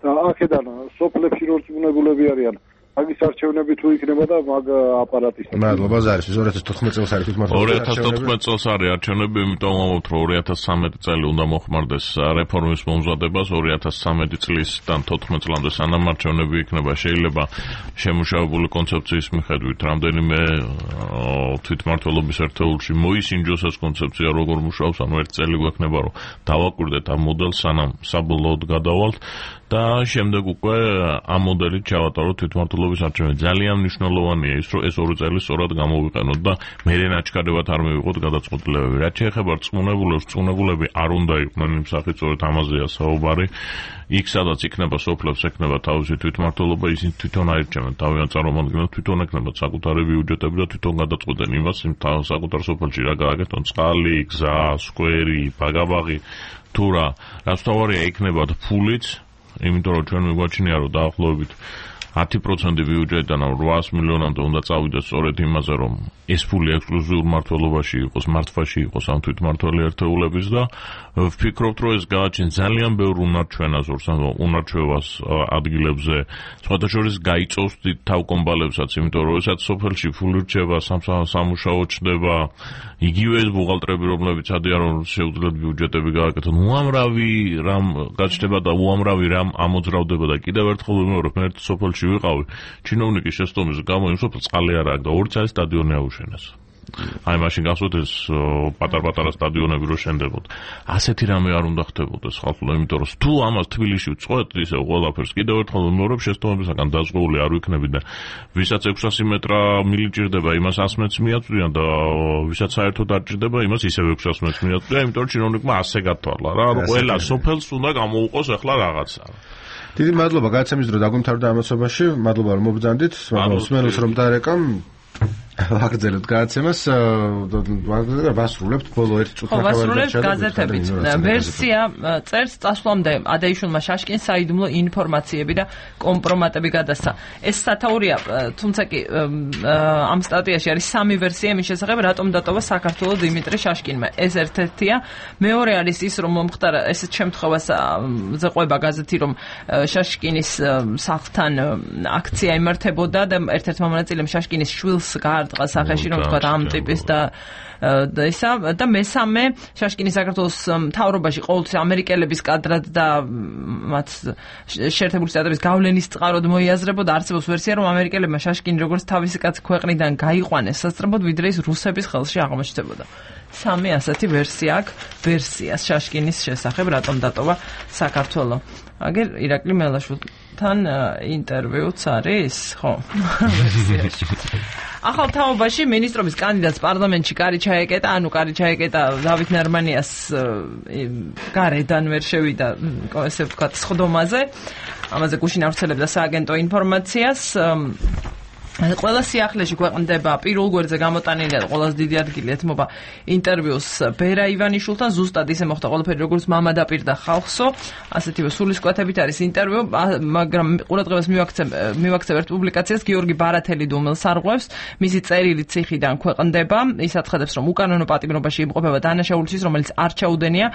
და აქედან სოფლებში რო წუნებულები არიან მაგის არჩევნები თუ იქნება და მაგ აპარატის. მადლობა ზარის ორი ათას თოთხმეტ წელს არის თვითმმართველობა. ორი ათას თოთხმეტ წელს არის არჩევნები, იმიტომ ვამბობთ რომ ორი ათას ცხრამეტი წელი უნდა მოხმარდეს რეფორმის მომზადებას, ორი ათას ცხრამეტი წლისთან თოთხმეტ წლამდე სანამ არჩევნები იქნება, შეიძლება შემუშავებული კონცეფციის მიხედვით რამდენიმე თვითმმართველობის ერთეულში მოისინჯოს ეს კონცეფცია როგორ მუშაობს, ანუ ერთ წელი გვექნება რომ დავაკვირდეთ ამ მოდელს სანამ საბოლოოდ გადავალთ და შემდეგ უკვე ამ მოდელით ჩავატაროთ თვითმმართველობის არჩევნები. ძალიან მნიშვნელოვანია ის, რომ ეს ორი წელი სწორად გამოვიყენოთ და მერე ნაჩქარებად არ მივიღოთ გადაწყვეტილებები. რაც შეეხება რწმუნებულებს, რწმუნებულები არ უნდა იყვნენ იმ სახით, სწორედ ამაზეა საუბარი. იქ სადაც იქნება სოფლებს, ექნება თავისი თვითმმართველობა, ისინი თვითონ აირჩევენ თავიანთ წარმომადგენლებს, თვითონ ექნებათ საკუთარი ბიუჯეტები და თვითონ გადაწყვეტენ იმას, იმ საკუთარ სოფელში რა გააკეთონ, წყალი, გზა, სკვერი, ბაგაბაღი, თუ რა. რაც თავარია იქნებათ ფულიც, იმიტომ რომ ჩვენ მიგვაჩნია რომ დაახლოებით ათი პროცენტი ბიუჯეტიდან რვაას მილიონამდე უნდა წავიდეს სწორედ იმაზე, რომ ეს ფული ექსკლუზიურ მმართველობაში იყოს, მართვაში იყოს ამ თვითმმართველი ერთეულების და ვფიქრობთ, რომ ეს გააჩნს ძალიან ბევრ უნარჩვენაზურს, ანუ უნარჩვევას ადგილებზე, სხვათა შორის გაიწოვს დიდ თავკომბალებსაც, იმიტომ რომ ესაც სოფელში ფული რჩება, სამუშაო ჩნდება, იგივე ეს ბუღალტრები, რომლებიც ადიან რომ შეუძლიათ ბიუჯეტები გააკეთონ, უამრავი რამ გაჩნდება და უამრავი რამ ამოძრავდება და კიდევ ერთხელ ვიმეორებ, მე ერთ სოფელში ვიყავი, ჩინოვნიკის შეცდომის გამო იმ სოფელს წყალი არ აქვს და ორი წელი სტადიონი აუშენეს. აი მაშინ გასვოთ ეს პატარ-პატარა სტადიონები რო შენდებოდა. ასეთი რამე არ უნდა ხდებოდეს ხალხო, იმიტომ რომ თუ ამას თბილისში ვწყვეტ ისე ყველაფერს კიდევ ერთხელ ვიმეორებ, შეცდომებისგან დაზღვეული არ ვიქნები და ვისაც ექვსასი მეტრა მილიჭირდება, იმას ას მეტრს მიაწვდიან და ვისაც საერთოდ არ ჭირდება, იმას ისევ ექვსას მეტრს მიაწვდიან, იმიტომ რომ ჩინოვნიკმა ასე გათვალა რა, რომ ყველა სოფელს უნდა გამოუყოს ახლა რაღაცა. დიდი მადლობა გადაცემის დრო დაგვიმთავრდა ამოცობაში. მადლობა რომ მობრძანდით. მსმენელს რომ დაარეკამ ვაგრძელებთ გადაცემას, ვასრულებთ ბოლო ერთი წუთი ახლა ვასრულებთ გაზეთებით. ვერსია წერს წასვლამდე ადეიშვილმა შაშკინს საიდუმლო ინფორმაციები და კომპრომატები გადასცა. ეს სათაურია, თუმცა კი ამ სტატიაში არის სამი ვერსია იმის შესახებ, რატომ დატოვა საქართველოს დიმიტრი შაშკინმა. ეს ერთ-ერთია, მეორე არის ის, რომ მომხდარა ესეთ შემთხვევას ზეყვება გაზეთი, რომ შაშკინის სახლთან აქცია იმართებოდა და ერთ-ერთმა მონაწილემ შაშკინის შვილს გაარტყა სახეში, რომ თქვა ამ ტიპის და და ისა და მესამე შაშკინის საქართველოს მთავრობაში ყოველთვის ამერიკელების კადრად და მათ შეერთებული შტატების გავლენის წყაროდ მოიაზრებოდა. არსებობს ვერსია, რომ ამერიკელებმა შაშკინი როგორც თავისი კაცი ქვეყნიდან გაიყვანეს სასწრაფოდ, ვიდრე ის რუსების ხელში აღმოჩნდებოდა. სამი ასეთი ვერსია აქვს ვერსიას შაშკინის შესახებ, რატომ დატოვა საქართველო. აგერ ირაკლი მელაშვილთან ინტერვიუც არის, ხო? ვერსიაში. ახალ თაობაში მინისტრობის კანდიდატს პარლამენტში კარი ჩაეკეტა, ანუ კარი ჩაეკეტა დავით ნარმანიას გარედან ვერ შევიდა, ესე ვთქვათ, სხდომაზე. ამაზე გუშინ ავრცელებდა სააგენტო ინფორმაციას. ყველა სიახლეში ქვეყნდება პირველ გვერდზე გამოტანილია ყველაზე დიდი ადგილი ეთმობა ინტერვიუს ბერა ივანიშვილთან ზუსტად ისე მოხდა ყველაფერი როგორც მამა დაპირდა ხალხსო ასეთივე სულისკვეთებით არის ინტერვიუ მაგრამ ყურადღებას მივაქცევ ერთ პუბლიკაციას გიორგი ბარათელი დუმელს არღვევს მისი წერილი ციხიდან ქვეყნდება ის აცხადებს რომ უკანონო პატიმრობაში იმყოფება დანაშაულისთვის რომელიც არ ჩაუდენია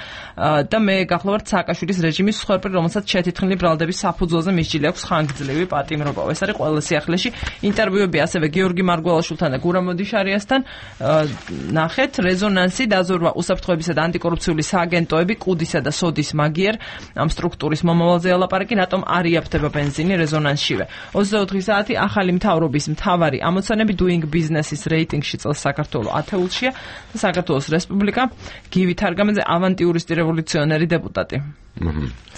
და მე გახლავართ სააკაშვილის რეჟიმის მსხვერპლი რომელსაც შეთითხნილი ბრალდების საფუძველზე მისჯილი აქვს ხანგრძლივი პატიმრობა ეს არის ყველა სიახლეში ინტერვიუები ასევე გიორგი მარგველაშვილთან და გურამ მოდიშარიასთან ნახეთ რეზონანსი დაზორვა უსაფრთხოებისა და ანტიკორუფციული სააგენტოები კუდისა და სოდის მაგიერ ამ სტრუქტურის მომავალზე ელაპარაკი რატომ არ იაფთება ბენზინი რეზონანსშივე ოცდაოთხი საათი ახალი მთავრობის მთავარი ამოცანები doing business-ის რეიტინგში წელს საქართველოს ათეულშია და საქართველოს რესპუბლიკა გივი თარგამაძე ავანტიურისტი რევოლუციონერი დეპუტატი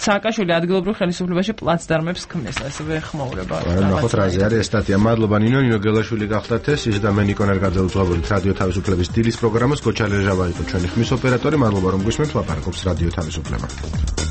სააკაშვილი ადგილობრივ ხელისუფლებაში პლაცდარმებს ქმნის ასევე ხმაურება ნახოთ რაზე არის ეს სტატია მადლობა ნინო ნინო გელაშვილი გახდათ ეს ის და მე ნიკო ნერგაძე უძღვებოდით რადიო თავისუფლების დილის პროგრამას გოჩა ლეჟავა იყო ჩვენი ხმის ოპერატორი მადლობა რომ გვისმენთ ლაპარაკობს რადიო თავისუფლება